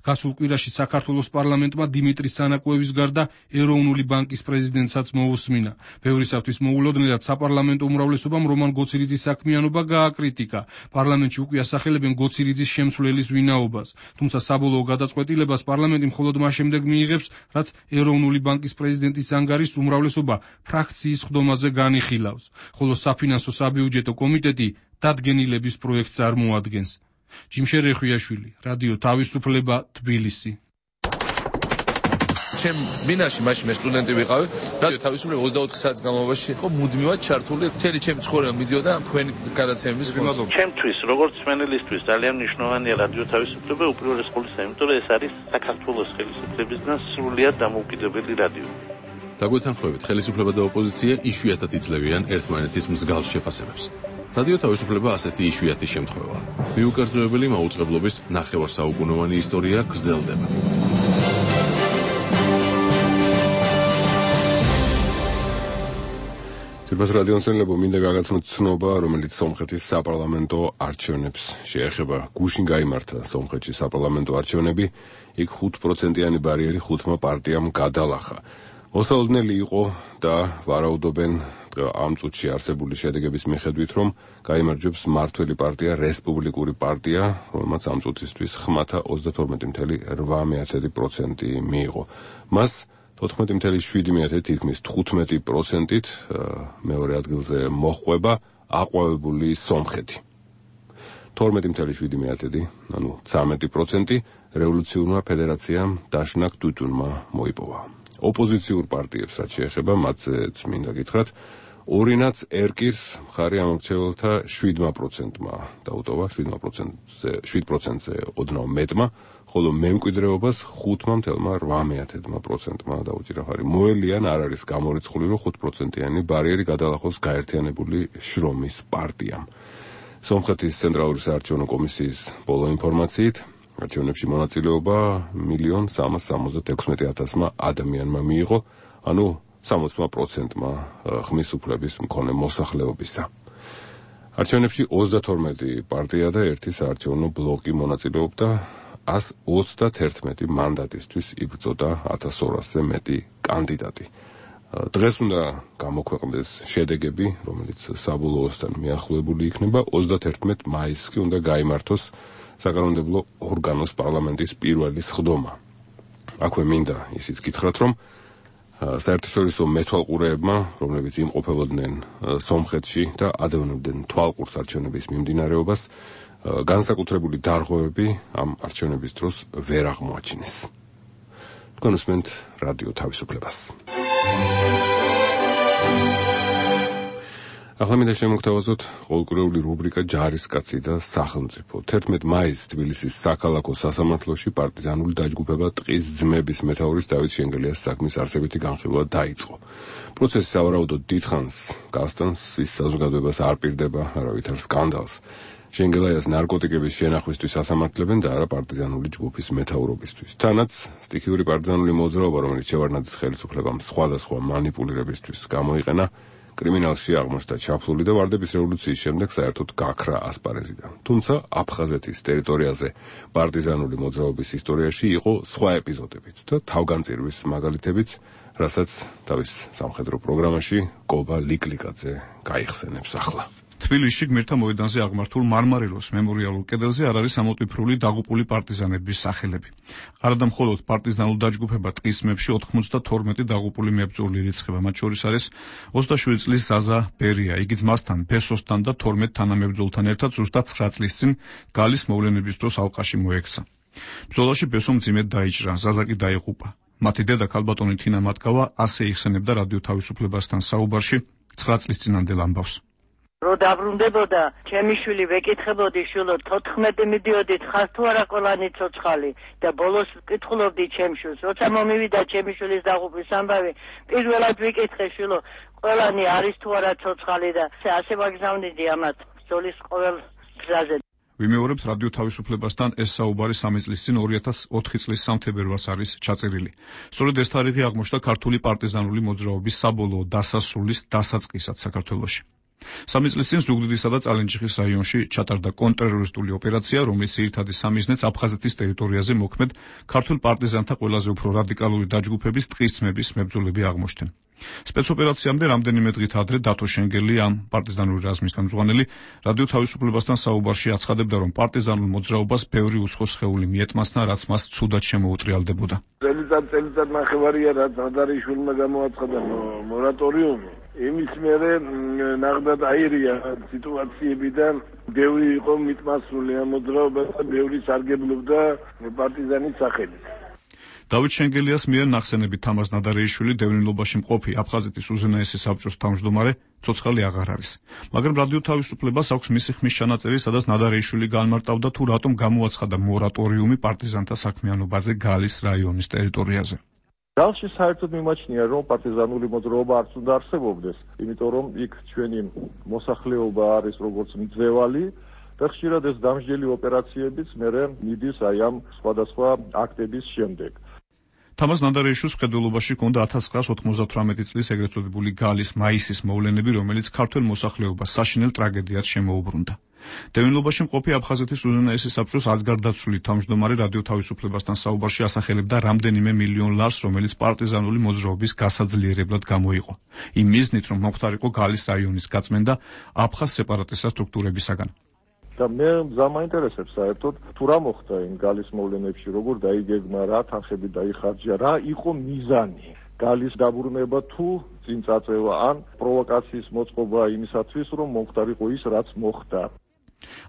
გასულ კვირაში საქართველოს პარლამენტმა დიმიტრი სანაკოევის გარდა ეროვნული ბანკის პრეზიდენტსაც მოусმინა. ბევრისათვის მოულოდნელად საპარლამენტო უმრავლესობამ რომან გოცირიძის საქმიანობა გააკრიტიკა. პარლამენტში უკვე ასახელებენ გოცირიძის შემცვლელის ვინაობას. თუმცა საბოლოო გადაწყვეტილებას პარლამენტი მხოლოდ მას შემდეგ მიიღებს, რაც ეროვნული ბანკის პრეზიდენტის ანგარის უმრავლესობა ფრაქციის ხდომაზე განიხილავს, ხოლო საფინანსო საბიუჯეტო კომიტეტი დადგენილების პროექტს წარმოადგენს. ჯიმშერ ეხვიაშვილი, რადიო თავისუფლება, თბილისი. ჩემ ბინაში მაშინ მე სტუდენტი ვიყავი, რადიო თავისუფლება 24 საათის განმავლობაში იყო მუდმივად ჩართული. მთელი ჩემი ცხოვრება მიდიოდა თქვენი გადაცემების ფონზე. ჩემთვის, როგორც სვენელისთვის, ძალიან მნიშვნელოვანია რადიო თავისუფლება უპირველეს ყოვლისა, იმიტომ რომ ეს არის საქართველოს ხელისუფლებისგან სრულიად დამოუკიდებელი რადიო. დაგვეთანხმებით, ხელისუფლება და ოპოზიცია იშვიათად იძლევიან ერთმანეთის მსგავს შეფასებებს. რადიო თავისუფლება ასეთი იშვიათი შემთხვევაა. მიუკერძოებელი მაუწყებლობის ნახევარსაუკუნოვანი ისტორია გრძელდება. თირბას რადიოსენლებო მინდა გაგაცნოთ ცნობა, რომელიც სომხეთის საპარლამენტო არჩევნებს შეეხება. გუშინ გაიმართა სომხეთში საპარლამენტო არჩევნები, იქ 5%-იანი ბარიერი 5 პარტიამ გადალახა. მოსაოდნელი იყო და ვარაუდობენ ამ წუთში არსებული შედეგების მიხედვით, რომ გაიმარჯვებს მმართველი პარტია რესპუბლიკური პარტია, რომელმაც ამ წუთისთვის ხმათა 32.8% მიიღო. მას 14.7 თითქმის 15%-ით მეორე ადგილზე მოჰყვება აყვავებული სომხეთი. 12.7, ანუ 13% რევოლუციურმა ფედერაციამ დაშნაკ ტუტუნმა მოიპოვა. ოპოზიციურ პარტიებს რაც შეეხება, მათზეც მინდა გითხრათ, ორინაც ერკირს მხარი ამორჩეველთა 7%-მა დაუტოვა, 7%-ზე ოდნავ მეტმა, ხოლო მემკვიდრეობას 5.8%-მა დაუჭირა ხარი. მოელიან არ არის გამორიცხული, რომ 5%-იანი ბარიერი გადალახოს გაერთიანებული შრომის პარტიამ. სომხეთის ცენტრალური საარჩევნო კომისიის ბოლო ინფორმაციით, არჩევნებში მონაწილეობა 1.366.000 ადამიანმა მიიღო, ანუ 60%-მა ხმის უფლების მქონე მოსახლეობისა. არჩევნებში 32 პარტია და ერთი საარჩევნო ბლოკი მონაწილეობდა, 131 მანდატისთვის იბრძოდა 1200-ზე მეტი კანდიდატი. დღეს უნდა გამოქვეყნდეს შედეგები, რომელიც საბოლოოსთან მიახლოებული იქნება. 31 მაისს კი უნდა გაიმართოს საკანონმდებლო ორგანოს პარლამენტის პირველი სხდომა. აქვე მინდა ისიც გითხრათ, რომ საერთაშორისო მეთვალყურეებმა, რომლებიც იმყოფებოდნენ სომხეთში და ადევნებდნენ თვალყურს არჩევნების მიმდინარეობას, განსაკუთრებული დარღვევები ამ არჩევნების დროს ვერ აღმოაჩინეს. თქვენ უსმენთ რადიო თავისუფლებას. ახლა მინდა შემოგთავაზოთ ყოველკვირეული რუბრიკა ჯარისკაცი და სახელმწიფო. 11 მაისს თბილისის საქალაქო სასამართლოში პარტიზანული დაჯგუფება ტყის ძმების მეთაურის დავით შენგელიას საქმის არსებითი განხილვა დაიწყო. პროცესი სავარაუდოდ დიდხანს გასტანს, ის საზოგადოებას არ პირდება არავითარ სკანდალს. შენგელაიას ნარკოტიკების შენახვისთვის ასამართლებენ და არა პარტიზანული ჯგუფის მეთაურობისთვის. თანაც სტიქიური პარტიზანული მოძრაობა, რომელიც შევარდნაძის ხელისუფლებამ სხვადასხვა მანიპულირებისთვის გამოიყენა, კრიმინალში აღმოჩნდა ჩაფლული და ვარდების რევოლუციის შემდეგ საერთოდ გაქრა ასპარეზიდან. თუმცა აფხაზეთის ტერიტორიაზე პარტიზანული მოძრაობის ისტორიაში იყო სხვა ეპიზოდებიც და თავგანწირვის მაგალითებიც, რასაც თავის სამხედრო პროგრამაში კობა ლიკლიკაძე გაიხსენებს ახლა. თბილისში გმირთა მოედანზე აღმართულ მარმარილოს მემორიალურ კედელზე არ არის ამოტვიფრული დაღუპული პარტიზანების სახელები. არადა მხოლოდ პარტიზანულ დაჯგუფება ტყის ძმებში 92 დაღუპული მებრძოლი ირიცხება, მათ შორის არის 27 წლის ზაზა ბერია. იგი ძმასთან, ბესოსთან და 12 თანამებრძოლთან ერთად ზუსტად 9 წლის წინ გალის მოვლენების დროს ალყაში მოექცა. ბრძოლაში ბესო მძიმედ დაიჭრა, ზაზა კი დაიღუპა. მათი დედა ქალბატონი თინა მატკავა ასე იხსენებდა რადიო თავისუფლებასთან საუბარში 9 წლის წინანდელ ამბავს. რო დაბრუნდებოდა, ჩემი შვილი ვეკითხებოდი შვილო 14 მიდიოდით ხარ თუ არა ყველანი ცოცხალი და ბოლოს ვკითხულობდი ჩემ შვილს. როცა მომივიდა ჩემი შვილის დაღუპვის ამბავი, პირველად ვიკითხე შვილო, ყველანი არის თუ არა ცოცხალი და ასე ვაგზავნიდი ამათ ბრძოლის ყოველ გზაზე. ვიმეორებთ რადიო თავისუფლებასთან ეს საუბარი 3 წლის წინ 2004 წლის 3 თებერვალს არის ჩაწერილი. სწორედ ეს თარიღი აღმოჩნდა ქართული პარტიზანული მოძრაობის საბოლოო დასასრულის დასაწყისად საქართველოში. 3 წლის წინ ზუგდიდისა და წალენჯიხის რაიონში ჩატარდა კონტრტერორისტული ოპერაცია, რომლის ძირითადი სამიზნეც აფხაზეთის ტერიტორიაზე მოქმედ ქართულ პარტიზანთა ყველაზე უფრო რადიკალური დაჯგუფების ტყისწმების მებრძოლები აღმოჩნდნენ. სპეცოპერაციამდე რამდენიმე დღით ადრე დათო შენგელი, ამ პარტიზანული რაზმის ხელმძღვანელი, რადიო თავისუფლებასთან საუბარში აცხადებდა, რომ პარტიზანულ მოძრაობას ბევრი უცხო სხეული მიეთმასნა, რაც მას ცუდად შემოუტრიალდებოდა. წელიწად ნახევარია, რაც ადარიშვილმა გამოაცხადა მორატორიუმი. იმის მერე ნახდათ აირია სიტუაციებიდან ბევრი იყო მიტმასული ამ მოძრაობას და ბევრი სარგებლობდა პარტიზანის სახელით. დავით შენგელიას მიერ ნახსენებით თამაზ ნადარეიშვილი დევნილობაში მყოფი აფხაზეთის უზენაესი საბჭოს თავმჯდომარე ცოცხალი აღარ არის. მაგრამ რადიო თავისუფლებას აქვს მისი ხმის ჩანაწერი, სადაც ნადარეიშვილი განმარტავდა თუ რატომ გამოაცხადა მორატორიუმი პარტიზანთა საქმიანობაზე გალის რაიონის ტერიტორიაზე. გალში საერთოდ მიმაჩნია, რომ პარტიზანული მოძრაობა არც უნდა არსებობდეს, იმიტომ რომ იქ ჩვენი მოსახლეობა არის როგორც მძევალი და ხშირად ეს დამსჯელი ოპერაციებიც მერე მიდის აი ამ სხვადასხვა აქტების შემდეგ. თამაზ ნადარეიშვილის მხედველობაში ჰქონდა 1998 წლის ეგრეთ წოდებული გალის მაისის მოვლენები, რომელიც ქართველ მოსახლეობას საშინელ ტრაგედიად შემოუბრუნდა. დევნილობაში მყოფი აფხაზეთის უზენაესი საბჭოს აცგარდაცვლილი თავმჯდომარე რადიო თავისუფლებასთან საუბარში ასახელებდა რამდენიმე მილიონ ლარს, რომელიც პარტიზანული მოძრაობის გასაძლიერებლად გამოიყო. იმ მიზნით, რომ მომხდარიყო გალის რაიონის გაწმენდა აფხაზ სეპარატისტთა სტრუქტურებისაგან. და მე ზამაინტერესებს საერთოდ თუ რა მოხდა იმ გალის მოვლენებში, როგორ დაიგეგმა, რა თანხები დაიხარჯა, რა იყო მიზანი გალის დაბრუნება თუ წინ წაწევა ან პროვოკაციის მოწყობა იმისათვის, რომ მომხდარიყო ის, რაც მოხდა.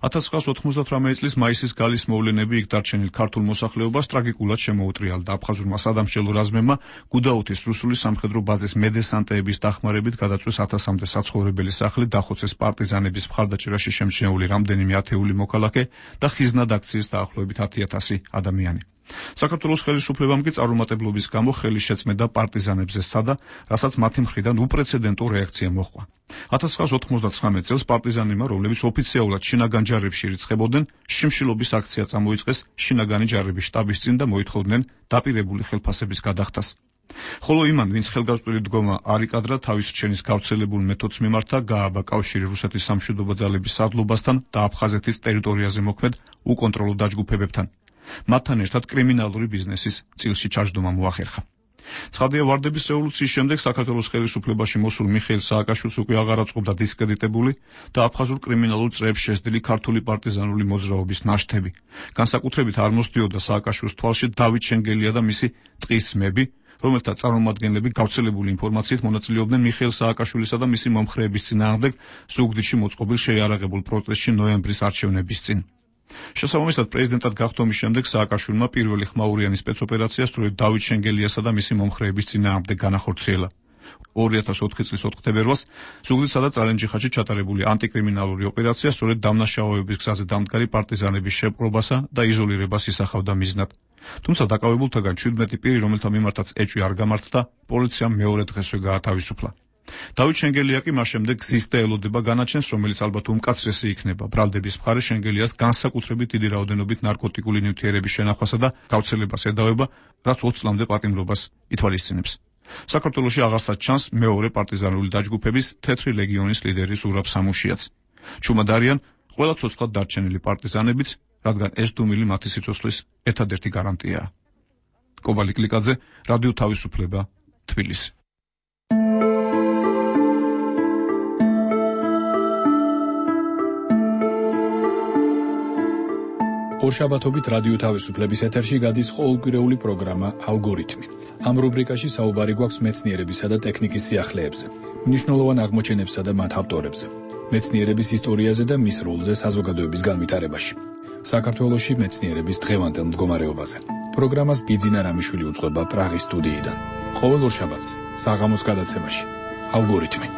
1998 წლის მაისის გალის მოვლენები იქ დარჩენილ ქართულ მოსახლეობას ტრაგიკულად შემოუტრიალდა. აფხაზურმა სადამშელო რაზმებმა გუდაუთის რუსული სამხედრო ბაზის მედესანტეების დახმარებით გადაწვეს 1000-მდე საცხოვრებელი სახლი, დახოცეს პარტიზანების მხარდაჭერაში შემჩნეული რამდენიმე ათეული მოქალაქე და ხიზნად აქციის დაახლოებით 10,000 ადამიანი. საქართველოს ხელისუფლებამ კი წარუმატებლობის გამო ხელი შეწმედა პარტიზანებზე სცადა, რასაც მათი მხრიდან უპრეცედენტო რეაქცია მოჰყვა. 1999 წელს პარტიზანებმა, რომლებიც ოფიციალურად შინაგან ჯარებში ირიცხებოდნენ, შიმშილობის აქცია წამოიწყეს შინაგანი ჯარების შტაბის წინ და მოითხოვდნენ დაპირებული ხელფასების გადახდას. ხოლო იმან, ვინც ხელგაზრდილი დგომა არ იკადრა თავის რჩენის გავრცელებულ მეთოდს მიმართა, გააბა კავშირი რუსეთის სამშვიდობო ძალების სარდლობასთან და აფხაზეთის ტერიტორიაზე მოქმედ უკონტროლო დაჯგუფებებთან. მათთან ერთად კრიმინალური ბიზნესის წილში ჩაჯდომა მოახერხა. ცხადია, ვარდების რევოლუციის შემდეგ საქართველოს ხელისუფლებაში მოსულ მიხეილ სააკაშვილს უკვე აღარ აწყობდა დისკრედიტებული და აფხაზურ კრიმინალურ წრეებს შესდილი ქართული პარტიზანული მოძრაობის ნაშთები. განსაკუთრებით არ მოსდიოდა სააკაშვილის თვალში დავით შენგელია და მისი ტყისმები, რომელთა წარმომადგენლები გავრცელებული ინფორმაციით მონაწილეობდნენ მიხეილ სააკაშვილისა და მისი მომხრეების წინააღმდეგ ზუგდიდში მოწყობილ შეიარაღებულ პროტესტში ნოემბრის არჩევნების წინ. შესაბამისად, პრეზიდენტად გახდომის შემდეგ სააკაშვილმა პირველი ხმაურიანი სპეცოპერაცია სწორედ დავით შენგელიასა და მისი მომხრეების წინააღმდეგ განახორციელა. 2004 წლის 4 თებერვალს ზუგდიდსა და წალენჯიხაში ჩატარებული ანტიკრიმინალური ოპერაცია სწორედ დამნაშავეობის გზაზე დამდგარი პარტიზანების შეპყრობასა და იზოლირებას ისახავდა მიზნად. თუმცა დაკავებულთაგან 17 პირი, რომელთა მიმართაც ეჭვი არ გამართდა, პოლიციამ მეორე დღესვე გაათავისუფლა. დავით შენგელია კი მას შემდეგ გზის და ელოდება განაჩენს, რომელიც ალბათ უმკაცრესი იქნება ბრალდების მხარე შენგელიას განსაკუთრებით დიდი რაოდენობით ნარკოტიკული ნივთიერების შენახვასა და გავრცელებას ედავება, რაც 20 წლამდე პატიმრობას ითვალისწინებს. საქართველოში აღარსაც ჩანს მეორე პარტიზანული დაჯგუფების თეთრი ლეგიონის ლიდერი ზურაბ სამუშიაც. ჩუმად არიან ყველა ცოცხლად დარჩენილი პარტიზანებიც, რადგან ეს დუმილი მათი სიცოცხლის ერთადერთი გარანტიაა. კობალი კლიკაძე, რადიო თავისუფლება, თბილისი. ორშაბათობით რადიო თავისუფლების ეთერში გადის ყოველკვირეული პროგრამა ალგორითმი. ამ რუბრიკაში საუბარი გვაქვს მეცნიერებისა და ტექნიკის სიახლეებზე, მნიშვნელოვან აღმოჩენებსა და მათ ავტორებზე, მეცნიერების ისტორიაზე და მის როლზე საზოგადოების განვითარებაში, საქართველოში მეცნიერების დღევანდელ მდგომარეობაზე. პროგრამას ბიძინა რამიშვილი უწყება პრაღის სტუდიიდან. ყოველ ორშაბათს საღამოს გადაცემაში ალგორითმი.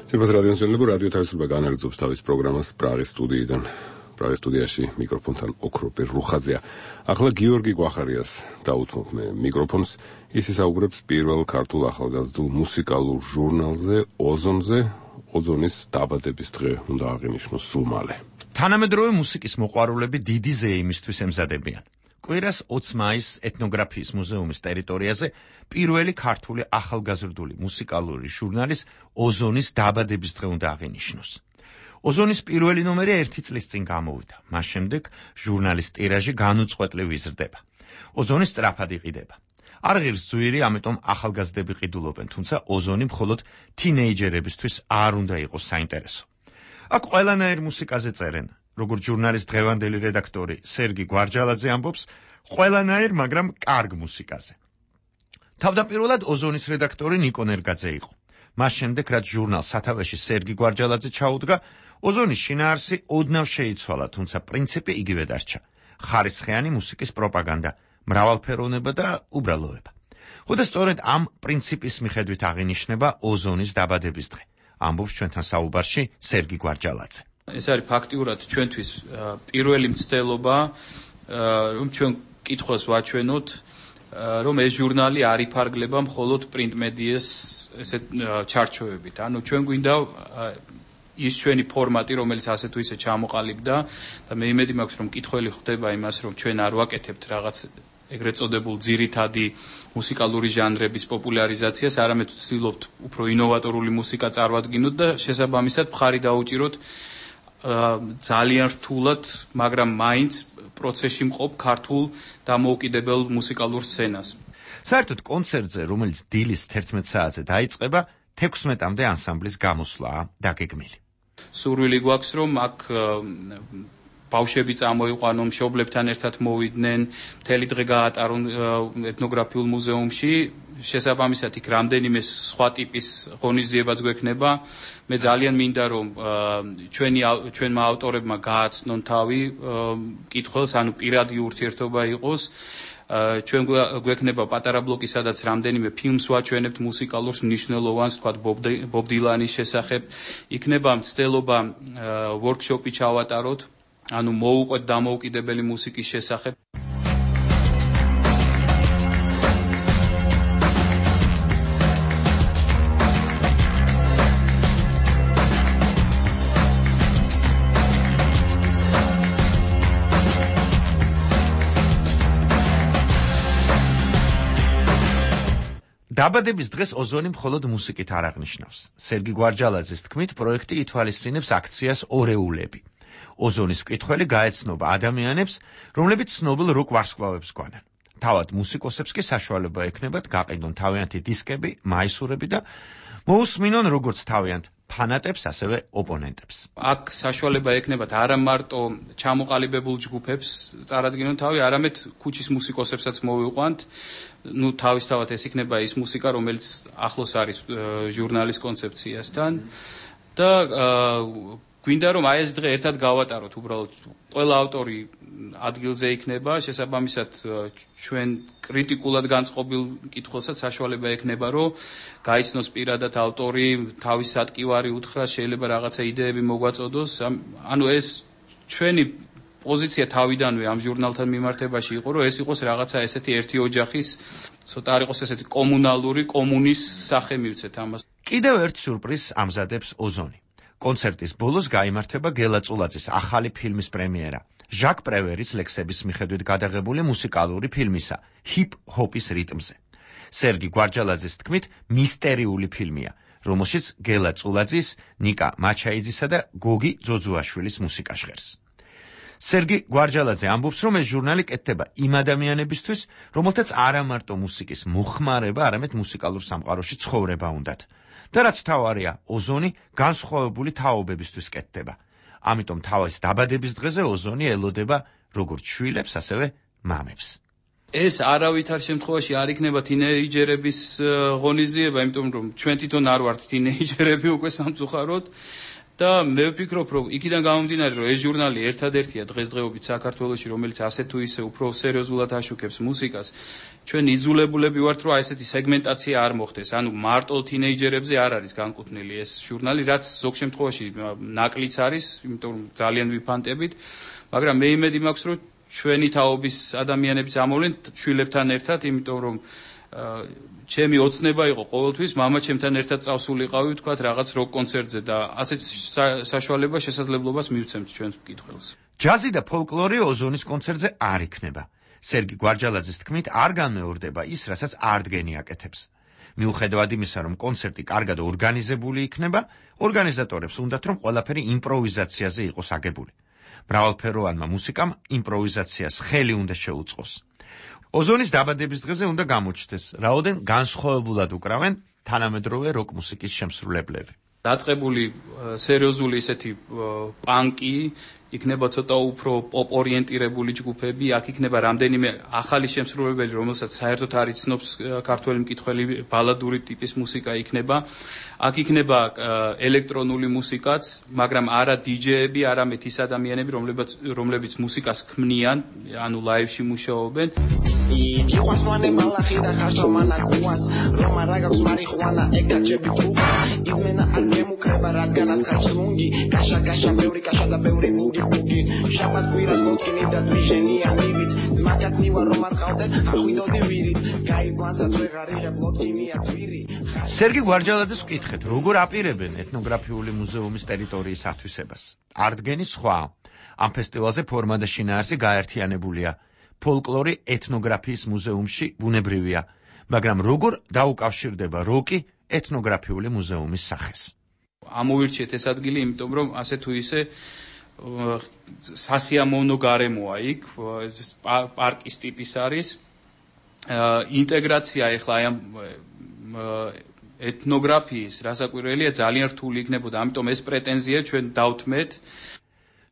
Სერბეთის რადიოს ზენლებო რადიო თავისუფლება განაგრძობს თავის პროგრამას პრაღის სტუდიიდან. პრაღის სტუდიაში მიკროფონთან ოქროპე რუხაძეა. ახლა გიორგი გვახარიას დაუთმობ მე მიკროფონს. ის ისაუბრებს პირველ ქართულ ახალგაზრდულ მუსიკალურ ჟურნალზე ოზონზე. ოზონის დაბადების დღე უნდა აღინიშნოს სულ მალე. თანამედროვე მუსიკის მოყვარულები დიდი ზეიმისთვის ემზადებიან. კვირას 20 მაისს ეთნოგრაფიის მუზეუმის ტერიტორიაზე პირველი ქართული ახალგაზრდული მუსიკალური ჟურნალის ოზონის დაბადების დღე უნდა აღინიშნოს. ოზონის პირველი ნომერი 1 წლის წინ გამოვიდა. მას შემდეგ ჟურნალის ტირაჟი განუწყვეტლივ იზრდება. ოზონი სწრაფად იყიდება. არ ღირს ძვირი, ამიტომ ახალგაზრდები ყიდულობენ, თუმცა ოზონი მხოლოდ თინეიჯერებისთვის არ უნდა იყოს საინტერესო. აქ ყველანაირ მუსიკაზე წერენ, როგორც ჟურნალის დღევანდელი რედაქტორი სერგი გვარჯალაძე ამბობს, ყველანაირ, მაგრამ კარგ მუსიკაზე. თავდაპირველად ოზონის რედაქტორი ნიკო ნერგაძე იყო. მას შემდეგ, რაც ჟურნალს სათავეში სერგი გვარჯალაძე ჩაუდგა, ოზონის შინაარსი ოდნავ შეიცვალა, თუმცა პრინციპი იგივე დარჩა. ხარისხიანი მუსიკის პროპაგანდა, მრავალფეროვნება და უბრალოება. ხოდა სწორედ ამ პრინციპის მიხედვით აღინიშნება ოზონის დაბადების დღე. ამბობს ჩვენთან საუბარში სერგი გვარჯალაძე. ეს არის ფაქტიურად ჩვენთვის პირველი მცდელობა, რომ ჩვენ კითხვას ვაჩვენოთ, რომ ეს ჟურნალი არ იფარგლება მხოლოდ პრინტ მედიას ესეთ ჩარჩოებით. ანუ ჩვენ გვინდა ის ჩვენი ფორმატი, რომელიც ასე თუ ისე ჩამოყალიბდა და მე იმედი მაქვს, რომ კითხველი ხდება იმას, რომ ჩვენ არ ვაკეთებთ რაღაც ეგრეთ წოდებულ ძირითადი მუსიკალური ჟანრების პოპულარიზაციას, არამედ ვცდილობთ უფრო ინოვატორული მუსიკა წარვადგინოთ და შესაბამისად მხარი დაუჭიროთ ძალიან რთულად, მაგრამ მაინც პროცესში მყოფ ქართულ დამოუკიდებელ მუსიკალურ სცენას. საერთოდ კონცერტზე, რომელიც დილის 11 საათზე დაიწყება, 16-მდე ანსამბლის გამოსვლაა დაგეგმილი. სურვილი გვაქვს, რომ აქ ბავშვები წამოიყვანონ, მშობლებთან ერთად მოვიდნენ, მთელი დღე გაატარონ ეთნოგრაფიულ მუზეუმში. შესაბამისად, იქ რამდენიმე სხვა ტიპის ღონისძიებაც გვექნება. მე ძალიან მინდა, რომ ჩვენმა ავტორებმა გააცნონ თავი კითხვას, ანუ პირადი ურთიერთობა იყოს. ჩვენ გვექნება პატარა ბლოკი, სადაც რამდენიმე ფილმს ვაჩვენებთ მუსიკალურს მნიშვნელოვანს, თქვათ ბობ დილანის შესახებ. იქნება მცდელობა ვორქშოპი ჩავატაროთ, ანუ მოუყვეთ დამოუკიდებელი მუსიკის შესახებ. დაბადების დღეს ოზონი მხოლოდ მუსიკით არ აღნიშნავს. სერგი გვარჯალაძის თქმით, პროექტი ითვალისწინებს აქციას ორეულები. ოზონის მკითხველი გაეცნობა ადამიანებს, რომლებიც ცნობილ როკ ვარსკვლავებს გვანან. თავად მუსიკოსებს კი საშუალება ექნებათ გაყიდონ თავიანთი დისკები, მაისურები და მოусმინონ როგორც თავიანთ ფანატებს, ასევე ოპონენტებს. აქ საშუალება ექნებათ არა მარტო ჩამოყალიბებულ ჯგუფებს წარადგინონ თავი, არამედ ქუჩის მუსიკოსებსაც მოვიყვანთ. ნუ თავისთავად ეს იქნება ის მუსიკა, რომელიც ახლოს არის ჟურნალის კონცეფციასთან და გვინდა რომ აი ეს დღე ერთად გავატაროთ, უბრალოდ ყველა ავტორი ადგილზე იქნება, შესაბამისად ჩვენ კრიტიკულად განწყობილ კითხვასაც საშუალება ექნება, რომ გაიცნოს პირადად ავტორი, თავის სატკივარი უთხრას, შეიძლება რაღაცა იდეები მოგვაწოდოს. ანუ ეს ჩვენი პოზიცია თავიდანვე ამ ჟურნალთან მიმართებაში იყო, რომ ეს იყოს რაღაცა ესეთი ერთი ოჯახის, ცოტა არ იყოს ესეთი კომუნალური კომუნის სახე მივცეთ ამას. კიდევ ერთ სიურპრიზს ამზადებს ოზონი. კონცერტის ბოლოს გაიმართება გელა წულაძის ახალი ფილმის პრემიერა. ჟაკ პრევერის ლექსების მიხედვით გადაღებული მუსიკალური ფილმისა ჰიპ-ჰოპის რიტმზე. სერგი გვარჯალაძის თქმით, მისტერიული ფილმია, რომელშიც გელა წულაძის, ნიკა მაჩაიძისა და გოგი ძოძუაშვილის მუსიკა ჟღერს. სერგი გვარჯალაძე ამბობს, რომ ეს ჟურნალი კეთდება იმ ადამიანებისთვის, რომელთაც არა მარტო მუსიკის მოხმარება, არამედ მუსიკალურ სამყაროში ცხოვრება უნდათ. და რაც თავარია, ოზონი განსხვავებული თაობებისთვის კეთდება. ამიტომ თავის დაბადების დღეზე ოზონი ელოდება როგორც შვილებს, ასევე მამებს. ეს არავითარ შემთხვევაში არ იქნება თინეიჯერების ღონისძიება, იმიტომ რომ ჩვენ თვითონ არ ვართ თინეიჯერები უკვე სამწუხაროდ და მე ვფიქრობ, რომ იქიდან გამომდინარე, რომ ეს ჟურნალი ერთადერთია დღესდღეობით საქართველოში, რომელიც ასე თუ ისე უფრო სერიოზულად აშუქებს მუსიკას, ჩვენ იძულებულები ვართ, რომ ესეთი სეგმენტაცია არ მოხდეს. ანუ მარტო თინეიჯერებზე არ არის განკუთვნილი ეს ჟურნალი, რაც ზოგ შემთხვევაში ნაკლიც არის, იმიტომ რომ ძალიან ვიფანტებით, მაგრამ მე იმედი მაქვს, რომ ჩვენი თაობის ადამიანებიც ამოვლენ შვილებთან ერთად, იმიტომ რომ ჩემი ოცნება იყო ყოველთვის მამა ჩემთან ერთად წავსულიყავი ვთქვათ რაღაც როკ კონცერტზე და ასეთ საშუალებას შესაძლებლობას მივცემთ ჩვენს მკითხველს. ჯაზი და ფოლკლორი ოზონის კონცერტზე არ იქნება. სერგი გვარჯალაძის თქმით არ განმეორდება ის, რასაც არტგენი აკეთებს. მიუხედავად იმისა, რომ კონცერტი კარგად ორგანიზებული იქნება, ორგანიზატორებს უნდათ, რომ ყველაფერი იმპროვიზაციაზე იყოს აგებული. მრავალფეროვანმა მუსიკამ იმპროვიზაციას ხელი უნდა შეუწყოს. ოზონის დაბადების დღეზე უნდა გამოჩნდეს, რაოდენ განსხვავებულად უკრავენ თანამედროვე როკ მუსიკის შემსრულებლები. დაწყებული სერიოზული ისეთი პანკი, იქნება ცოტა უფრო პოპ ორიენტირებული ჯგუფები, აქ იქნება რამდენიმე ახალი შემსრულებელი, რომელსაც საერთოდ არ იცნობს ქართველი მკითხველი, ბალადური ტიპის მუსიკა იქნება. აქ იქნება ელექტრონული მუსიკაც, მაგრამ არა დიჯეები, არამედ ის ადამიანები, რომლებიც მუსიკას ქმნიან, ანუ ლაივში მუშაობენ. იყვასვანე მალახი და ხარჯო მანაკუას, რომ არა გაქვს მარიხუანა, ეკაჭები თუხას, იზმენა არ გემუქრება, რადგანაც ხარჯლუნგი, კაშა ბევრი კაშა და ბევრი ბუგი ბუგი, შაბათ კვირას ლოთკინი და დვიჟენია მივით, ძმაკაცნივა რომ არ ყავდეს, ახვიდოდი ვირით, გაიგვანსაც ვეღარიღებ ლოთკინია ძვირი. სერგი გვარჯალაძეს ვკითხეთ, როგორ აპირებენ ეთნოგრაფიული მუზეუმის ტერიტორიის ათვისებას. არტგენის სხვა, ამ ფესტივალზე ფორმა და შინაარსი გაერთიანებულია. ფოლკლორი ეთნოგრაფიის მუზეუმში ბუნებრივია, მაგრამ როგორ დაუკავშირდება როკი ეთნოგრაფიული მუზეუმის სახეს? ამოვირჩიეთ ეს ადგილი, იმიტომ რომ ასე თუ ისე სასიამოვნო გარემოა იქ, პარკის ტიპის არის. ინტეგრაცია ეხლა აი ამ ეთნოგრაფიის რასაკვირველია ძალიან რთული იქნებოდა, ამიტომ ეს პრეტენზია ჩვენ დავთმეთ.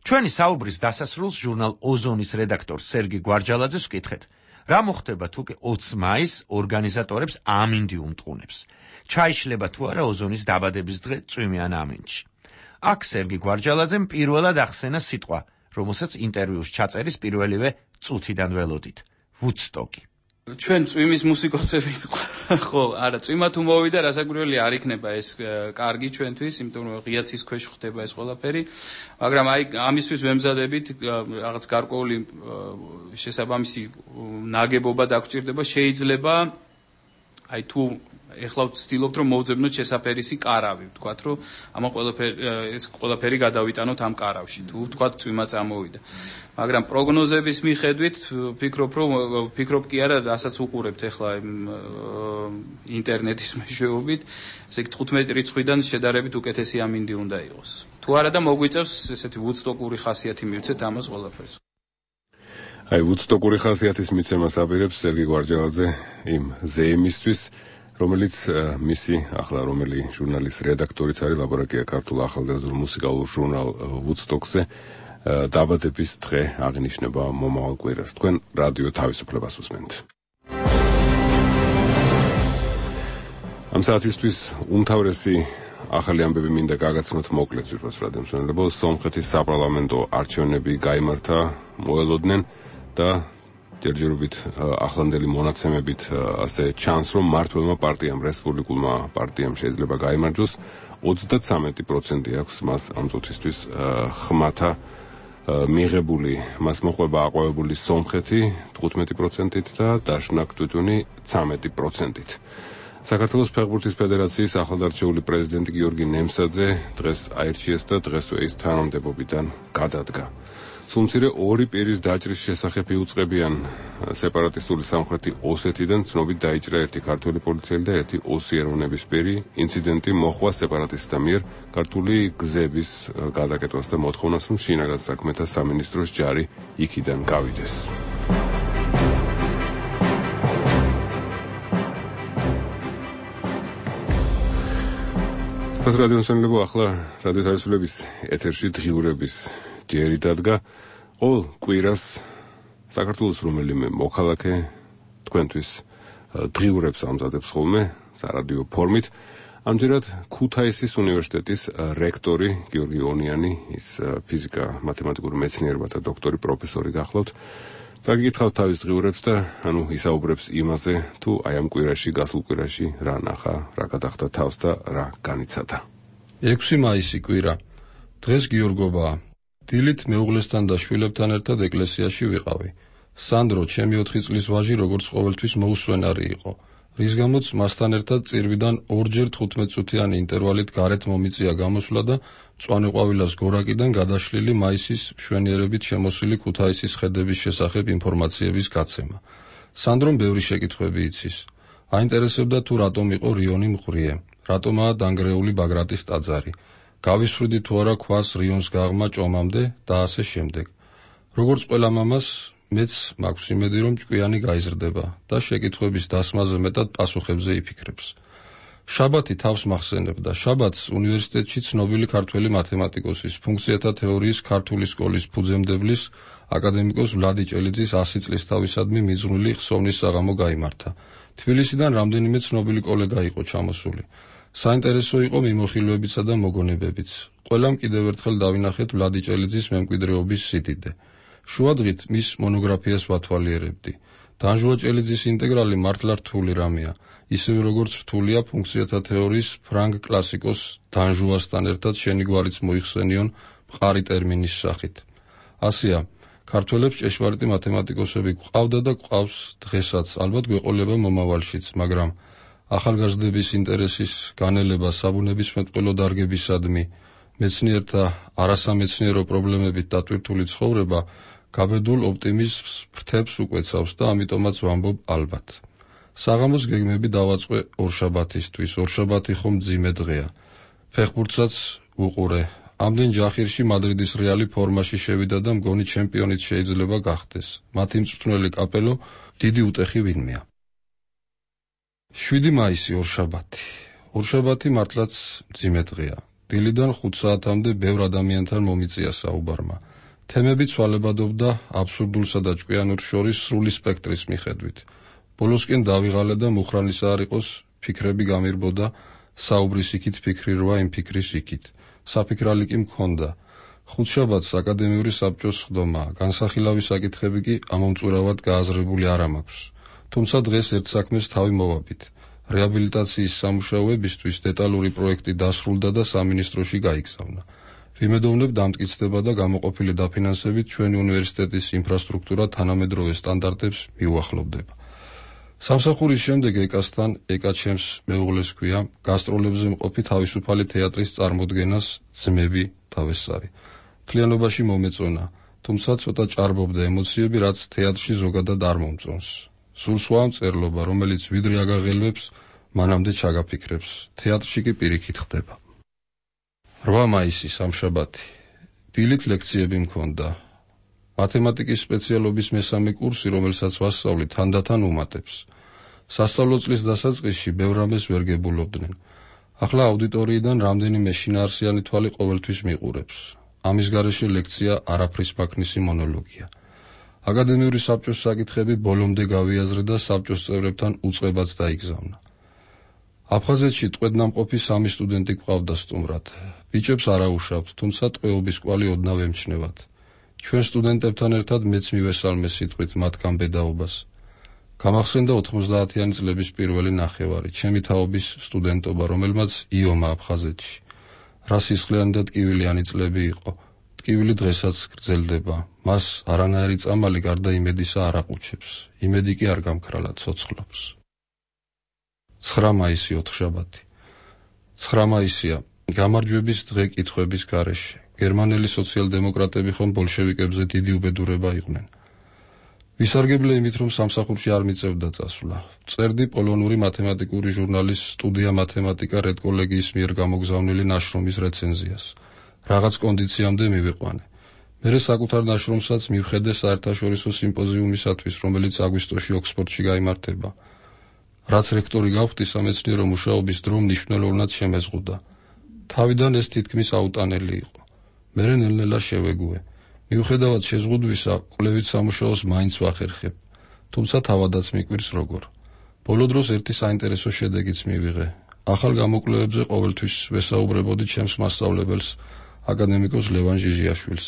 ჩვენი საუბრის დასასრულს ჟურნალ ოზონის რედაქტორ სერგი გვარჯალაძეს ვკითხეთ, რა მოხდება თუ 20 მაისს ორგანიზატორებს ამინდი უმტყუნებს. ჩაიშლება თუ არა ოზონის დაბადების დღე წვიმიან ამინდში. აქ სერგი გვარჯალაძემ პირველად ახსენა სიტყვა, რომელსაც ინტერვიუს ჩაწერის პირველივე წუთიდან ველოდით. ვუდსტოკი. ჩვენ წვიმის მუსიკოსების ხო, არა, წვიმა თუ მოვიდა, რასაკვირველია არ იქნება ეს კარგი ჩვენთვის, იმიტომ რომ ღიაცის ქვეშ ხდება ეს ყველაფერი, მაგრამ აი ამისთვის ვემზადებით რაღაც გარკვეული შესაბამისი ნაგებობა დაგვჭირდება, შეიძლება აი თუ ეხლა ვცდილობთ რომ მოვძებნოთ შესაფერისი კარავი, ვთქვათ რომ ეს ყველაფერი გადავიტანოთ ამ კარავში, თუ ვთქვათ წვიმა წამოვიდა. მაგრამ პროგნოზების მიხედვით ვფიქრობ კი არა, რასაც უყურებთ ეხლა ინტერნეტის მეშვეობით, ესე იგი 15 რიცხვიდან შედარებით უკეთესი ამინდი უნდა იყოს. თუ არა და მოგვიწევს ესეთი ვუდსტოკური ხასიათი მივცეთ ამას ყველაფერს. აი ვუდსტოკური ხასიათის მიცემას აპირებს სერგი გვარჯალაძე იმ ზეიმისთვის, რომელიც მისი ახლა რომელი ჟურნალის რედაქტორიც არის, ლაბორაკია ქართულ ახალგაზრდულ მუსიკალურ ჟურნალ ვუდსტოკზე დაბადების დღე აღინიშნება მომავალ კვირას. თქვენ რადიო თავისუფლებას უსმენთ. ამ საათისთვის უმთავრესი ახალი ამბები მინდა გაგაცნოთ მოკლედ ვირფას რადიო მსმენელებო. სომხეთის საპარლამენტო არჩევნები გაიმართა მოელოდნენ და ჯერჯერობით ახლანდელი მონაცემებით ასე ჩანს, რომ მმართველმა პარტიამ, რესპუბლიკულმა პარტიამ შეიძლება გაიმარჯვოს. 33% აქვს მას ამ წუთისთვის ხმათა მიღებული. მას მოყვება აყვავებული სომხეთი 15%-ით და დაშნაკ თვითონი 13%-ით. საქართველოს ფეხბურთის ფედერაციის ახლადარჩეული პრეზიდენტი გიორგი ნემსაძე დღეს აირჩიეს და დღესვე ის თანამდებობიდან გადადგა. სულმცირე ორი პირის დაჭრის შესახებ იუწყებიან სეპარატისტული სამხრეთი ოსეთიდან ცნობით დაიჭრა ერთი ქართველი პოლიციელი და ერთი ოსი ეროვნებისპირი. ინციდენტი მოხვა სეპარატისტთა მიერ ქართული გზების გადაკეთებას და მოთხოვნას, რომ შინაგან საქმეთა სამინისტროს ჯარი იქიდან გავიდეს. რადიო მსმენელებო, ახლა რადიო თავისუფლების ეთერში დღიურების ჯერი დადგა. ყოველ კვირას საქართველოს რომელიმე მოქალაქე თქვენთვის დღიურებს ამზადებს ხოლმე სარადიო ფორმით. ამჯერად ქუთაისის უნივერსიტეტის რექტორი გიორგი ონიანი, ის ფიზიკა-მათემატიკური მეცნიერებათა დოქტორი, პროფესორი გახლავთ. წაგიკითხავთ თავის დღიურებს და ისაუბრებს იმაზე, თუ აი ამ კვირაში, გასულ კვირაში რა ნახა, რა გადახდა თავს და რა განიცადა. 6 მაისი კვირა. დღეს გიორგობაა. დილით მეუღლესთან და შვილებთან ერთად ეკლესიაში ვიყავი. სანდრო, ჩემი 4 წლის ვაჟი, როგორც ყოველთვის მოუსვენარი იყო. რის გამოც მასთან ერთად წირვიდან ორჯერ 15 წუთიანი ინტერვალით გარეთ მომიწია გამოსვლა და მწვანე ყვავილას გორაკიდან გადაშლილი მაისის მშვენიერებით შემოსილი ქუთაისის ხედების შესახებ ინფორმაციების გაცემა. სანდრომ ბევრი შეკითხვები იცის. აინტერესებდა თუ რატომ იყო რიონი მყრიე, რატომაა დანგრეული ბაგრატის ტაძარი, გავისვრიდი თუ არა ქვას რიონს გაღმა ჭომამდე და ასე შემდეგ. როგორც ყველა მამას, მეც მაქვს იმედი, რომ ჭკვიანი გაიზრდება და შეკითხვების დასმაზე მეტად პასუხებზე იფიქრებს. შაბათი თავს მახსენებდა. შაბათს უნივერსიტეტში ცნობილი ქართველი მათემატიკოსის, ფუნქციათა თეორიის ქართული სკოლის ფუძემდებლის, აკადემიკოს ვლადი ჭელიძის 100 წლისთავისადმი მიძღვნილი ხსოვნის საღამო გაიმართა. თბილისიდან რამდენიმე ცნობილი კოლეგა იყო ჩამოსული. საინტერესო იყო მიმოხილვებიცა და მოგონებებიც. ყველამ კიდევ ერთხელ დავინახეთ ვლადი ჭელიძის მემკვიდრეობის სიდიდე. შუადღით მის მონოგრაფიას ვათვალიერებდი. დანჟუა ჭელიძის ინტეგრალი მართლა რთული რამეა, ისევე როგორც რთულია ფუნქციათა თეორიის ფრანგ კლასიკოს დანჟუასთან ერთად შენი გვარიც მოიხსენიონ მყარი ტერმინის სახით. ასეა, ქართველებს ჭეშმარიტი მათემატიკოსები გვყავდა და გვყავს დღესაც, ალბათ გვეყოლება მომავალშიც, მაგრამ ახალგაზრდების ინტერესის განელება საბუნებისმეტყველო დარგებისადმი, მეცნიერთა არასამეცნიერო პრობლემებით დატვირთული ცხოვრება გაბედულ ოპტიმიზმს ფრთებს უკვეცავს და ამიტომაც ვამბობ ალბათ. საღამოს გეგმები დავაწყე ორშაბათისთვის. ორშაბათი ხომ მძიმე დღეა. ფეხბურთსაც უყურე. ამდენ ჯახირში მადრიდის რეალი ფორმაში შევიდა და მგონი ჩემპიონიც შეიძლება გახდეს. მათი მწვრთნელი კაპელო დიდი უტეხი ვინმეა. 7 მაისი ორშაბათი. ორშაბათი მართლაც მძიმე დღეა. დილიდან 5 საათამდე ბევრ ადამიანთან მომიწია საუბარმა. თემები ცვალებადობდა აბსურდულსა და ჭკვიანურს შორის სრული სპექტრის მიხედვით. ბოლოსკენ დავიღალე და მუხრანისა არ იყოს, ფიქრები გამირბოდა, საუბრის იქით ფიქრი რვა, იმ ფიქრის იქით. საფიქრალი კი მქონდა. ხუთშაბათს აკადემიური საბჭოს სხდომაა, განსახილავი საკითხები კი ამომწურავად გააზრებული არ მაქვს. თუმცა დღეს ერთ საქმეს თავი მოვაბით. რეაბილიტაციის სამუშაოებისთვის დეტალური პროექტი დასრულდა და სამინისტროში გაიგზავნა. ვიმედოვნებ დამტკიცდება და გამოყოფილი დაფინანსებით ჩვენი უნივერსიტეტის ინფრასტრუქტურა თანამედროვე სტანდარტებს მიუახლოვდება. სამსახურის შემდეგ ეკასთან, ეკა ჩემს მეუღლეს ქვია, გასტროლებზე მყოფი თავისუფალი თეატრის წარმოდგენას ძმები თავესარი. მთლიანობაში მომეწონა, თუმცა ცოტა ჭარბობდა ემოციები, რაც თეატრში ზოგადად არ მომწონს. სულ სხვა მწერლობა, რომელიც ვიდრე აგაღელვებს, მანამდე ჩაგაფიქრებს. თეატრში კი პირიქით ხდება. 8 მაისი სამშაბათი. დილით ლექციები მქონდა. მათემატიკის სპეციალობის მესამე კურსი, რომელსაც ვასწავლი, თანდათან უმატებს. სასწავლო წლის დასაწყისში ბევრ რამეს ვერ გებულობდნენ. ახლა აუდიტორიიდან რამდენიმე შინაარსიანი თვალი ყოველთვის მიყურებს. ამის გარეშე ლექცია არაფრის მაქნისი მონოლოგია. აკადემიური საბჭოს საკითხები ბოლომდე გავიაზრე და საბჭოს წევრებთან უწყებაც დაიგზავნა. აფხაზეთში ტყვედნამყოფი 3 სტუდენტი გვყავდა სტუმრად. ბიჭებს არ აუშავთ, თუმცა ტყვეობის კვალი ოდნავ ემჩნევათ. ჩვენ სტუდენტებთან ერთად მეც მივესალმე სიტყვით მათგან ბედაობას. გამახსენდა 90-იანი წლების პირველი ნახევარი, ჩემი თაობის სტუდენტობა, რომელმაც იომა აფხაზეთში. რა სისხლიანი და ტკივილიანი წლები იყო. ტკივილი დღესაც გრძელდება. მას არანაირი წამალი გარდა იმედისა არ აყუჩებს. იმედი კი არ გამქრალა, ცოცხლობს. 9 მაისი ოთხშაბათი. 9 მაისია, გამარჯვების დღე კითხვების გარეშე. გერმანელი სოციალ-დემოკრატები ხომ ბოლშევიკებზე დიდი უბედურება იყვნენ. ვისარგებლე იმით, რომ სამსახურში არ მიწევდა წასვლა. წერდი პოლონური მათემატიკური ჟურნალის სტუდია მათემატიკა რედკოლეგიის მიერ გამოგზავნილი ნაშრომის რეცენზიას. რაღაც კონდიციამდე მივიყვანე. მერე საკუთარ ნაშრომსაც მივხედე საერთაშორისო სიმპოზიუმისათვის, რომელიც აგვისტოში ოქსფორდში გაიმართება. რაც რექტორი გავხდი, სამეცნიერო მუშაობის დრო მნიშვნელოვნად შემეზღუდა. თავიდან ეს თითქმის აუტანელი იყო. მერე ნელ-ნელა შევეგუე. მიუხედავად შეზღუდვისა, კვლევით სამუშაოს მაინც ვახერხებ. თუმცა თავადაც მიკვირს როგორ. ბოლო დროს ერთი საინტერესო შედეგიც მივიღე. ახალ გამოკვლევებზე ყოველთვის ვესაუბრებოდი ჩემს მასწავლებელს, აკადემიკოს ლევან ჟიჟიაშვილს.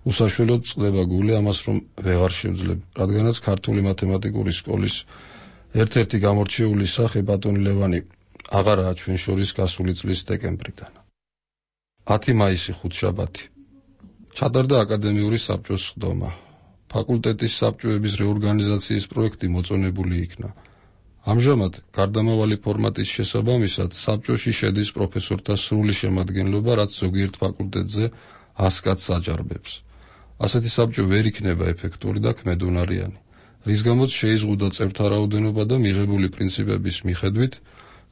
უსაშველოდ წდება გული ამას, რომ ვეღარ შევძლებ, რადგანაც ქართული მათემატიკური სკოლის ერთ-ერთი გამორჩეული სახე ბატონი ლევანი აღარაა ჩვენ შორის გასული წლის დეკემბრიდან. 10 მაისი ხუთშაბათი. ჩატარდა აკადემიური საბჭოს სხდომა. ფაკულტეტის საბჭოების რეორგანიზაციის პროექტი მოწონებული იქნა. ამჟამად გარდამავალი ფორმატის შესაბამისად საბჭოში შედის პროფესორთა სრული შემადგენლობა, რაც ზოგიერთ ფაკულტეტზე 100 კაცს აჯარბებს. ასეთი საბჭო ვერ იქნება ეფექტური და ქმედუნარიანი, რის გამოც შეიზღუდა წევრთა რაოდენობა და მიღებული პრინციპების მიხედვით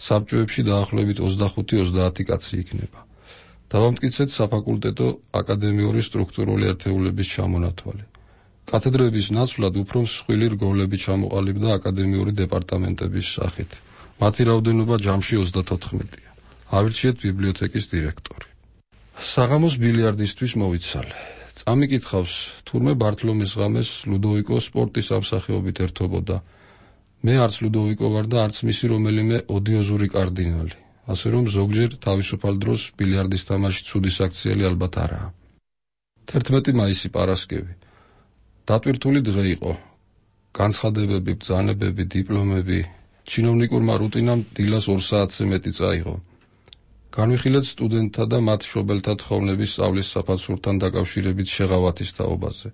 საბჭოებში დაახლოებით 25-30 კაცი იქნება. დავამტკიცეთ საფაკულტეტო აკადემიური სტრუქტურული ერთეულების ჩამონათვალი. კათედრების ნაცვლად უფრო მსხვილი რგოლები ჩამოყალიბდა აკადემიური დეპარტამენტების სახით. მათი რაოდენობა ჯამში 34-ია. ავირჩიეთ ბიბლიოთეკის დირექტორი. საღამოს ბილიარდისტვის მოვიცალე. წამიკითხავს, თურმე ბართლომის ღამეს ლუდოვიკო სპორტის ამსახეობით ერთობოდა. მე არც ლუდოვიკო ვარ და არც მისი რომელიმე ოდიოზური კარდინალი. ასე რომ ზოგჯერ თავისუფალ დროს ბილიარდის თამაში ცუდი საქციელი ალბათ არაა. 11 მაისი პარასკევი. დატვირთული დღე იყო. განცხადებები, ბრძანებები, დიპლომები, ჩინოვნიკურმა რუტინამ დილას 2 საათზე მეტი წაიღო. განვიხილეთ სტუდენტთა და მათ მშობელთა თხოვნების სწავლის საფასურთან დაკავშირებით შეღავათის თაობაზე.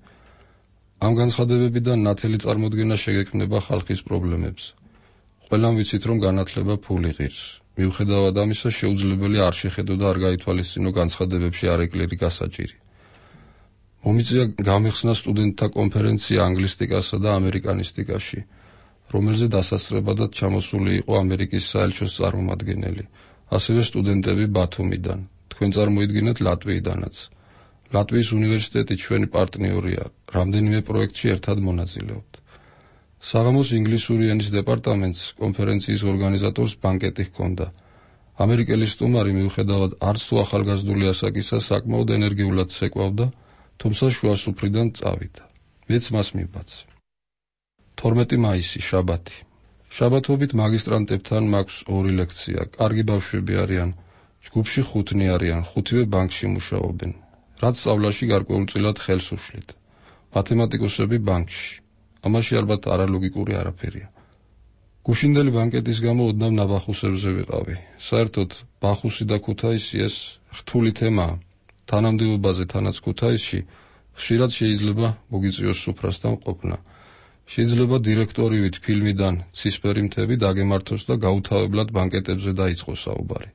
ამ განცხადებებიდან ნათელი წარმოდგენა შეგექმნება ხალხის პრობლემებს. ყველამ ვიცით, რომ განათლება ფული ღირს. მიუხედავად ამისა, შეუძლებელი არ შეხედო და არ გაითვალისწინო განცხადებებში არეკლერი გასაჭირი. მომიწია გამიხსნა სტუდენტთა კონფერენცია ანგლისტიკასა და ამერიკანისტიკაში, რომელზე დასასწრებადად ჩამოსული იყო ამერიკის საელჩოს წარმომადგენელი, ასევე სტუდენტები ბათუმიდან, თქვენ წარმოიდგინეთ ლატვიიდანაც. ლატვიის უნივერსიტეტი ჩვენი პარტნიორია, რამდენიმე პროექტში ერთად მონაწილეობთ. საღამოს ინგლისური ენის დეპარტამენტს კონფერენციის ორგანიზატორს ბანკეტი ჰქონდა. ამერიკელი სტუმარი მიუხედავად არც თუ ახალგაზრდული ასაკისა საკმაოდ ენერგიულად ცეკვავდა, თუმცა შუა სუფრიდან წავიდა. მეც მას მივბაცე. 12 მაისი შაბათი. შაბათობით მაგისტრანტებთან მაქვს 2 ლექცია. კარგი ბავშვები არიან, ჯგუფში 5 არიან, 5-ვე ბანკში მუშაობენ. რაც სწავლაში გარკვეულწილად ხელს უშლით. მათემატიკოსები ბანკში. ამაში ალბათ არალოგიკური არაფერია. გუშინდელი ბანკეტის გამო ოდნავ ნაბახუსებზე ვიყავი. საერთოდ ბახუსი და ქუთაისი ეს რთული თემაა. თანამდებობაზე თანაც ქუთაისში ხშირად შეიძლება მოგიწიოს სუფრასთან ყოფნა. შეიძლება დირექტორივით ფილმიდან ცისფერი მთები დაგემართოს და გაუთავებლად ბანკეტებზე დაიწყოს საუბარი.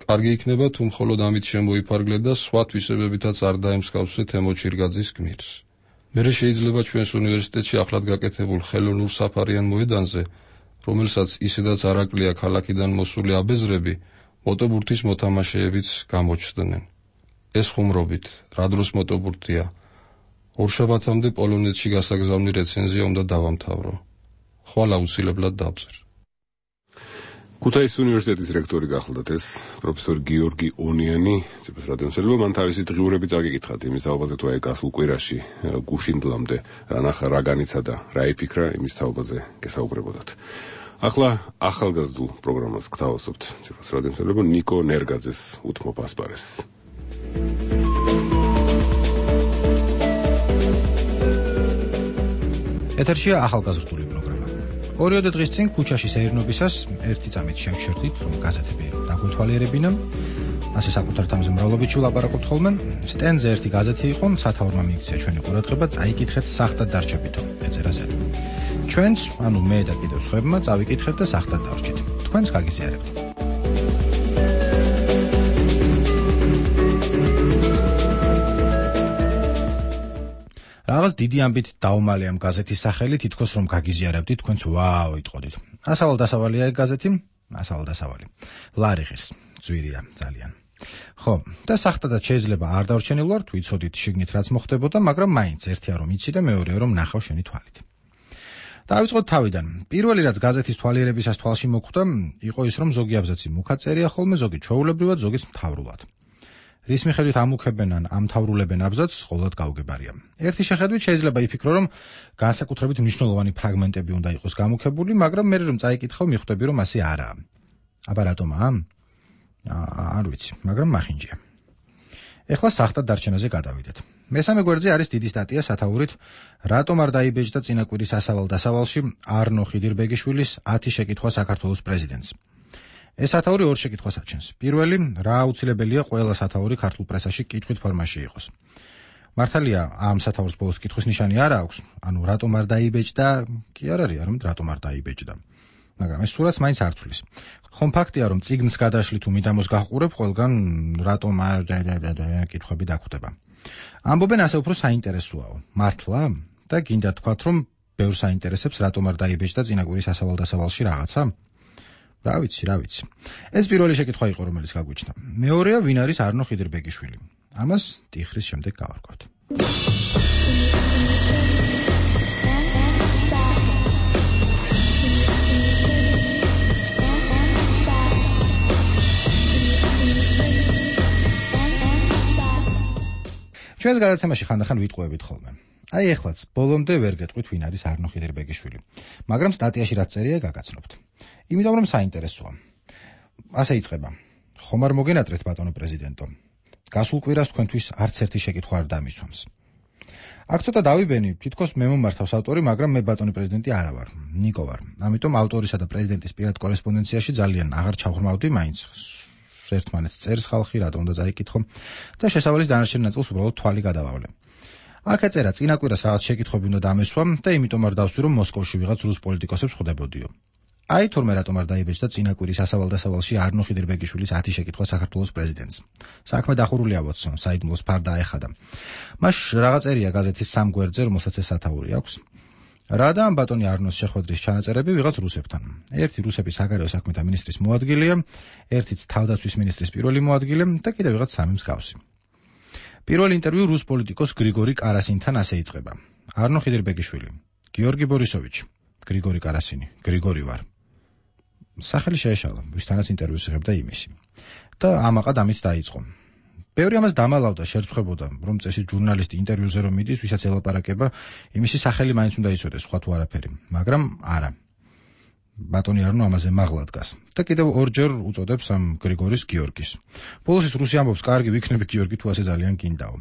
კარგი იქნება თუ მხოლოდ ამით შემოიფარგლე და სხვა თვისებებითაც არ დაემსგავსე თემო ჩირგაძის გმირს. მერე შეიძლება ჩვენს უნივერსიტეტში ახლად გაკეთებულ ხელოვნურ საფარიან მოედანზე, რომელსაც ისედაც არაკლია ქალაქიდან მოსული აბეზრები, მოტობურთის მოთამაშეებიც გამოჩნდნენ. ეს ხუმრობით, რა დროს მოტობურთია. ორშაბათამდე პოლონეთში გასაგზავნი რეცენზია უნდა დავამთავრო. ხვალ აუცილებლად დავწერ. ქუთაისის უნივერსიტეტის რექტორი გახლდათ ეს პროფესორი გიორგი ონიანი, ციფრ რადიომსელობა, მან თავისი დღიურები წაგიკითხათ იმის თაობაზე, თუ აი გასულ კვირაში გუშინდლამდე რა ნახა, რა განიცა და რა იფიქრა, იმის თაობაზე გესაუბრებოდათ. ახლა ახალგაზრდულ პროგრამას გთავაზობთ ციფრ რადიომსელობა ნიკო ნერგაძეს უთმობ ასპარეზს. ეთერშია ახალგაზრდული პროგრამა. 2 დღის წინ ქუჩაში სეირნობისას ერთი წამით შევშერდით, რომ გაზეთები დაგვეთვალიერებინა. ასე საკუთარ თამზე მრავლობით ვილაპარაკობთ ხოლმე. სტენზე ერთი გაზეთი იყო, სათაურმა მიიქცია ჩვენი ყურადღება, წაიკითხეთ სახტად დარჩებითო ეწერაზე. ჩვენც, ანუ მე და კიდევ სხვებმა წავიკითხეთ და სახტად დავრჩით. თქვენც გაგიზიარებთ. რაღაც დიდი ამბით დაუმალე ამ გაზეთის სახელი, თითქოს რომ გაგიზიარებდით, თქვენც ვაუ იტყოდით. ასავალ-დასავალია ეგ გაზეთი, ასავალ-დასავალი. ლარიღეს, ძვირია ძალიან. ხო, და სახტადაც შეიძლება არ დავრჩენილ ვარ, თუ იცოდით შიგნით რაც მოხდებოდა, მაგრამ მაინც ერთია რომ იცი და მეორეა რომ ნახავ შენი თვალით. დავიწყოთ თავიდან. პირველი რაც გაზეთის თვალიერებისას თვალში მოხვდა, იყო ის რომ ზოგი აბზაცი მუქაწერია ხოლმე, ზოგი ჩვეულებრივად, ზოგიც მთავრულად. რის მიხედვით ამუქებენ ან ამთავრულებენ აბზაცს, ყოველად გაუგებარია. ერთი შეხედვით შეიძლება იფიქრო, რომ განსაკუთრებით მნიშვნელოვანი ფრაგმენტები უნდა იყოს გამუქებული, მაგრამ მე რომ წაიკითხავ, მიხვდები, რომ ასე არაა. აბა რატომაა? არ ვიცი, მაგრამ მახინჯია. ეხლა სახტად დარჩენაზე გადავიდეთ. მესამე გვერდზე არის დიდი სტატია სათაურით რატომ არ დაიბეჭდა წინაკვირის ასავალ-დასავალში არნო ხიდირბეგიშვილის 10 შეკითხვა საქართველოს პრეზიდენტს. ეს სათაური ორ შეკითხვას აჩენს. პირველი, რა აუცილებელია ყველა სათაური ქართულ პრესაში კითხვით ფორმაში იყოს. მართალია, ამ სათაურს ბოლოს კითხვის ნიშანი არ აქვს, ანუ რატომ არ დაიბეჭდა, კი არ არის, არამედ რატომ არ დაიბეჭდა. მაგრამ ეს სურათს მაინც არ თვლის. ხომ ფაქტია, რომ წიგნს გადაშლით თუ მიდამოს გაჰყურებ, ყველგან რატომ არ კითხვები დაგვხვდება. ამბობენ ასე უფრო საინტერესოაო. მართლა? და გინდა თქვათ, რომ ბევრს აინტერესებს, რატომ არ დაიბეჭდა წინაკვირის ასავალ-დასავალში რაღაცა? რა ვიცი. ეს პირველი შეკითხვა იყო, რომელიც გაგვიჩნდა. მეორეა, ვინ არის არნო ხიდირბეგიშვილი? ამას ტიხრის შემდეგ გავარკვევთ. ჩვენს გადაცემაში ხანდახან ვიტყუებით ხოლმე. აი ეხლაც ბოლომდე ვერ გეტყვით, ვინ არის არნო ხიდირბეგიშვილი, მაგრამ სტატიაში რაც წერია გაგაცნობთ. იმიტომ რომ საინტერესოა. ასე იწყება. ხომ არ მოგენატრეთ ბატონო პრეზიდენტო? გასულ კვირას თქვენთვის არც ერთი შეკითხვა არ დამისვამს. აქ ცოტა დავიბენი, თითქოს მე მომართავს ავტორი, მაგრამ მე ბატონი პრეზიდენტი არა ვარ, ნიკო ვარ. ამიტომ ავტორისა და პრეზიდენტის პირად კორესპონდენციაში ძალიან აღარ ჩავღრმავდი მაინც. ერთმანეთს წერს ხალხი, რატომ და წაიკითხო და შესავალის დანარჩენ ნაწილს უბრალოდ თვალი გადავავლე. აქ ეწერა წინაკვირას რაღაც შეკითხვები უნდა დამესვამ და იმიტომ არ დავსვი, რომ მოსკოვში ვიღაც რუს პოლიტიკოსებს ხვდებოდიო. აი თორმე რატომ არ დაიბეჭდა წინაკვირის ასავალ-დასავალში არნო ხიდირბეგიშვილის 10 შეკითხვა საქართველოს პრეზიდენტს. საქმე დახურულია ვოცო, საიდუმლოს ფარდა აეხადა. მას რაღაც წერია გაზეთის სამ გვერდზე, რომელსაც ეს სათაური აქვს. რა და ამ ბატონი არნოს შეხვედრის ჩანაწერები ვიღაც რუსებთან. ერთი რუსების საგარეო საქმეთა მინისტრის მოადგილეა, ერთიც თავდაცვის მინისტრის პირველი მოადგილე და კიდევ ვიღაც სამი მსგავსი. პირველი ინტერვიუ რუს პოლიტიკოს გრიგორი კარასინთან ასე იწყება. არნო ხიდირბეგიშვილი, გიორგი ბორისოვიჩი, გრიგორი კარასინი, გრიგორი ვარ. სახელი შეეშალა, ვისთანაც ინტერვიუს იღებდა იმისი. და ამაყად ამით დაიწყო. ბევრი ამას დამალავდა, შერწხვებოდა, რომ წესი ჟურნალისტი ინტერვიუზე რომ მიდის, ვისაც ელაპარაკება, იმისი სახელი მაინც უნდა იცოდეს, სხვა თუ არაფერი. მაგრამ არა. ბატონი არნო ამაზე მაღლა დგას. და კიდევ ორჯერ უწოდებს ამ გრიგორის გიორგის. ბოლოს ის რუსი ამბობს, კარგი ვიქნები გიორგი თუ ასე ძალიან გინდაო.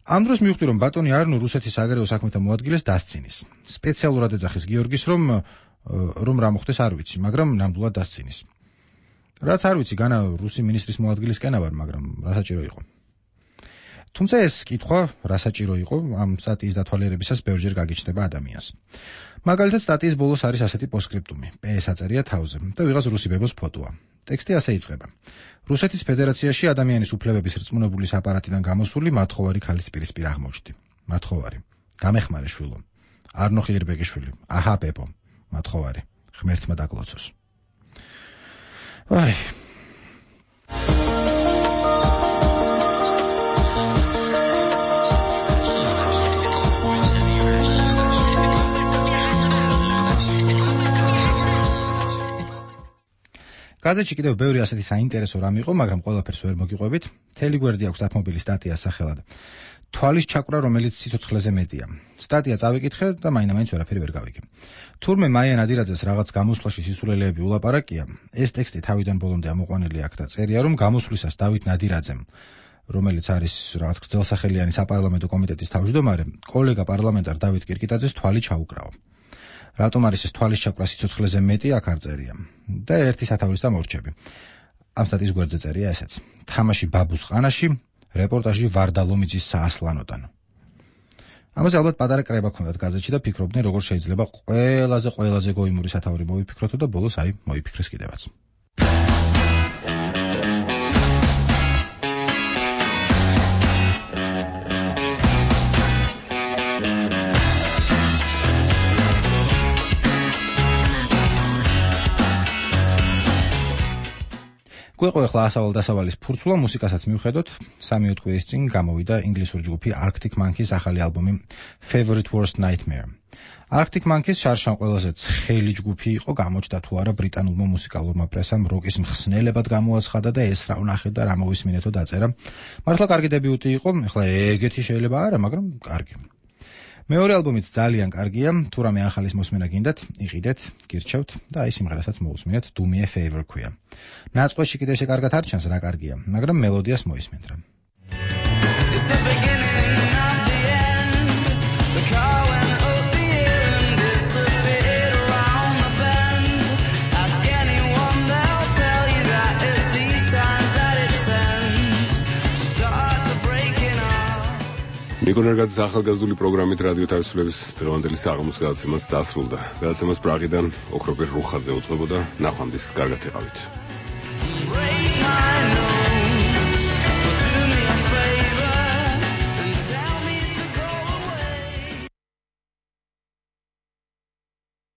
ამ დროს მივხვდი, რომ ბატონი არნო რუსეთის საგარეო საქმეთა მოადგილეს დასცინის. სპეციალურად ეძახის გიორგის, რომ რა მოხდეს არ ვიცი, მაგრამ ნამდვილად დასცინის. რაც არ ვიცი, განა რუსი მინისტრის მოადგილისკენა ვარ, მაგრამ რა საჭირო იყო. თუმცა ეს კითხვა რა საჭირო იყო, ამ სტატიის დათვალიერებისას ბევრჯერ გაგიჩნდება ადამიანს. მაგალითად, სტატიის ბოლოს არის ასეთი პოსკრიპტუმი, PS აწერია თავზე და ვიღაც რუსი ბებოს ფოტოა. ტექსტი ასე იწყება. რუსეთის ფედერაციაში ადამიანის უფლებების რწმუნებულის აპარატიდან გამოსული მათხოვარი ქალის პირისპირ აღმოჩნდი. მათხოვარი. გამეხმარე შვილო. არნო ხიდირბეგიშვილი. აჰა პეპო. მათხოვარი. ღმერთმა დაგლოცოს. აი. გაზეთში კიდევ ბევრი ასეთი საინტერესო რამ იყო, მაგრამ ყველაფერს ვერ მოგიყვებით. მთელი გვერდი აქვს დათმობილი სტატიას სახელად თვალის ჩაკვრა, რომელიც სიცოცხლეზე მეტია. სტატია წავიკითხე და მაინც ვერაფერი ვერ გავიგე. თურმე მაია ნადირაძეს რაღაც გამოსვლაში სისულელეები ულაპარაკია, ეს ტექსტი თავიდან ბოლომდე ამოყვანილი აქ და წერია, რომ გამოსვლისას დავით ნადირაძემ, რომელიც არის რაღაც გრძელსახელიანი საპარლამენტო კომიტეტის თავმჯდომარე, კოლეგა პარლამენტარ დავით კირკიტაძეს თვალი ჩაუკრაო. რატომ არის ეს თვალის ჩაკვრა სიცოცხლეზე მეტი, აქ არ წერია. და ერთი სათავრის და მორჩები. ამ სტატიის გვერდზე წერია ესეც. თამაში ბაბუს ყანაში, რეპორტაჟი ვარდა ლომიძის საასლანოდან. ამაზე ალბათ პატარა კრება ქონდათ გაზეთში და ფიქრობდნენ, როგორ შეიძლება ყველაზე გოიმური სათაური მოიფიქროთო და ბოლოს აი მოიფიქრეს კიდევაც. გვეყო ახლა ასავალ-დასავალის ფურცლა, მუსიკასაც მივხედოთ. 3 კვირის წინ გამოვიდა ინგლისური ჯგუფი Arctic Monkeys ახალი ალბომი Favorite Worst Nightmare. Arctic Monkeys შარშან ყველაზე ცხელი ჯგუფი იყო, გამოჩნდა თუ არა ბრიტანულმა მუსიკალურმა პრესამ როკის მხსნელებად გამოაცხადა და ეს რა ვნახე და რა მოვისმინეთო დაწერა. მართლა კარგი დებიუტი იყო, ახლა ეგეთი შეიძლება არა, მაგრამ კარგი. მეორე ალბომიც ძალიან კარგია, თუ რამე ახალის მოსმენა გინდათ, იყიდეთ, გირჩევთ და აი სიმღერასაც მოусმინეთ, Do Me a Favor ქვია. ნაწყვეტში კიდე ესე კარგად არ ჩანს რა კარგია, მაგრამ მელოდიას მოისმენთ რა. ნიკონერგაძის ახალგაზრდული პროგრამით რადიო თავისუფლების დღევანდელი საღამოს გადაცემას დასრულდა. გადაცემას პრაღიდან ოქროპირ რუხაძე უწყებოდა. ნახვამდის კარგად იყავით.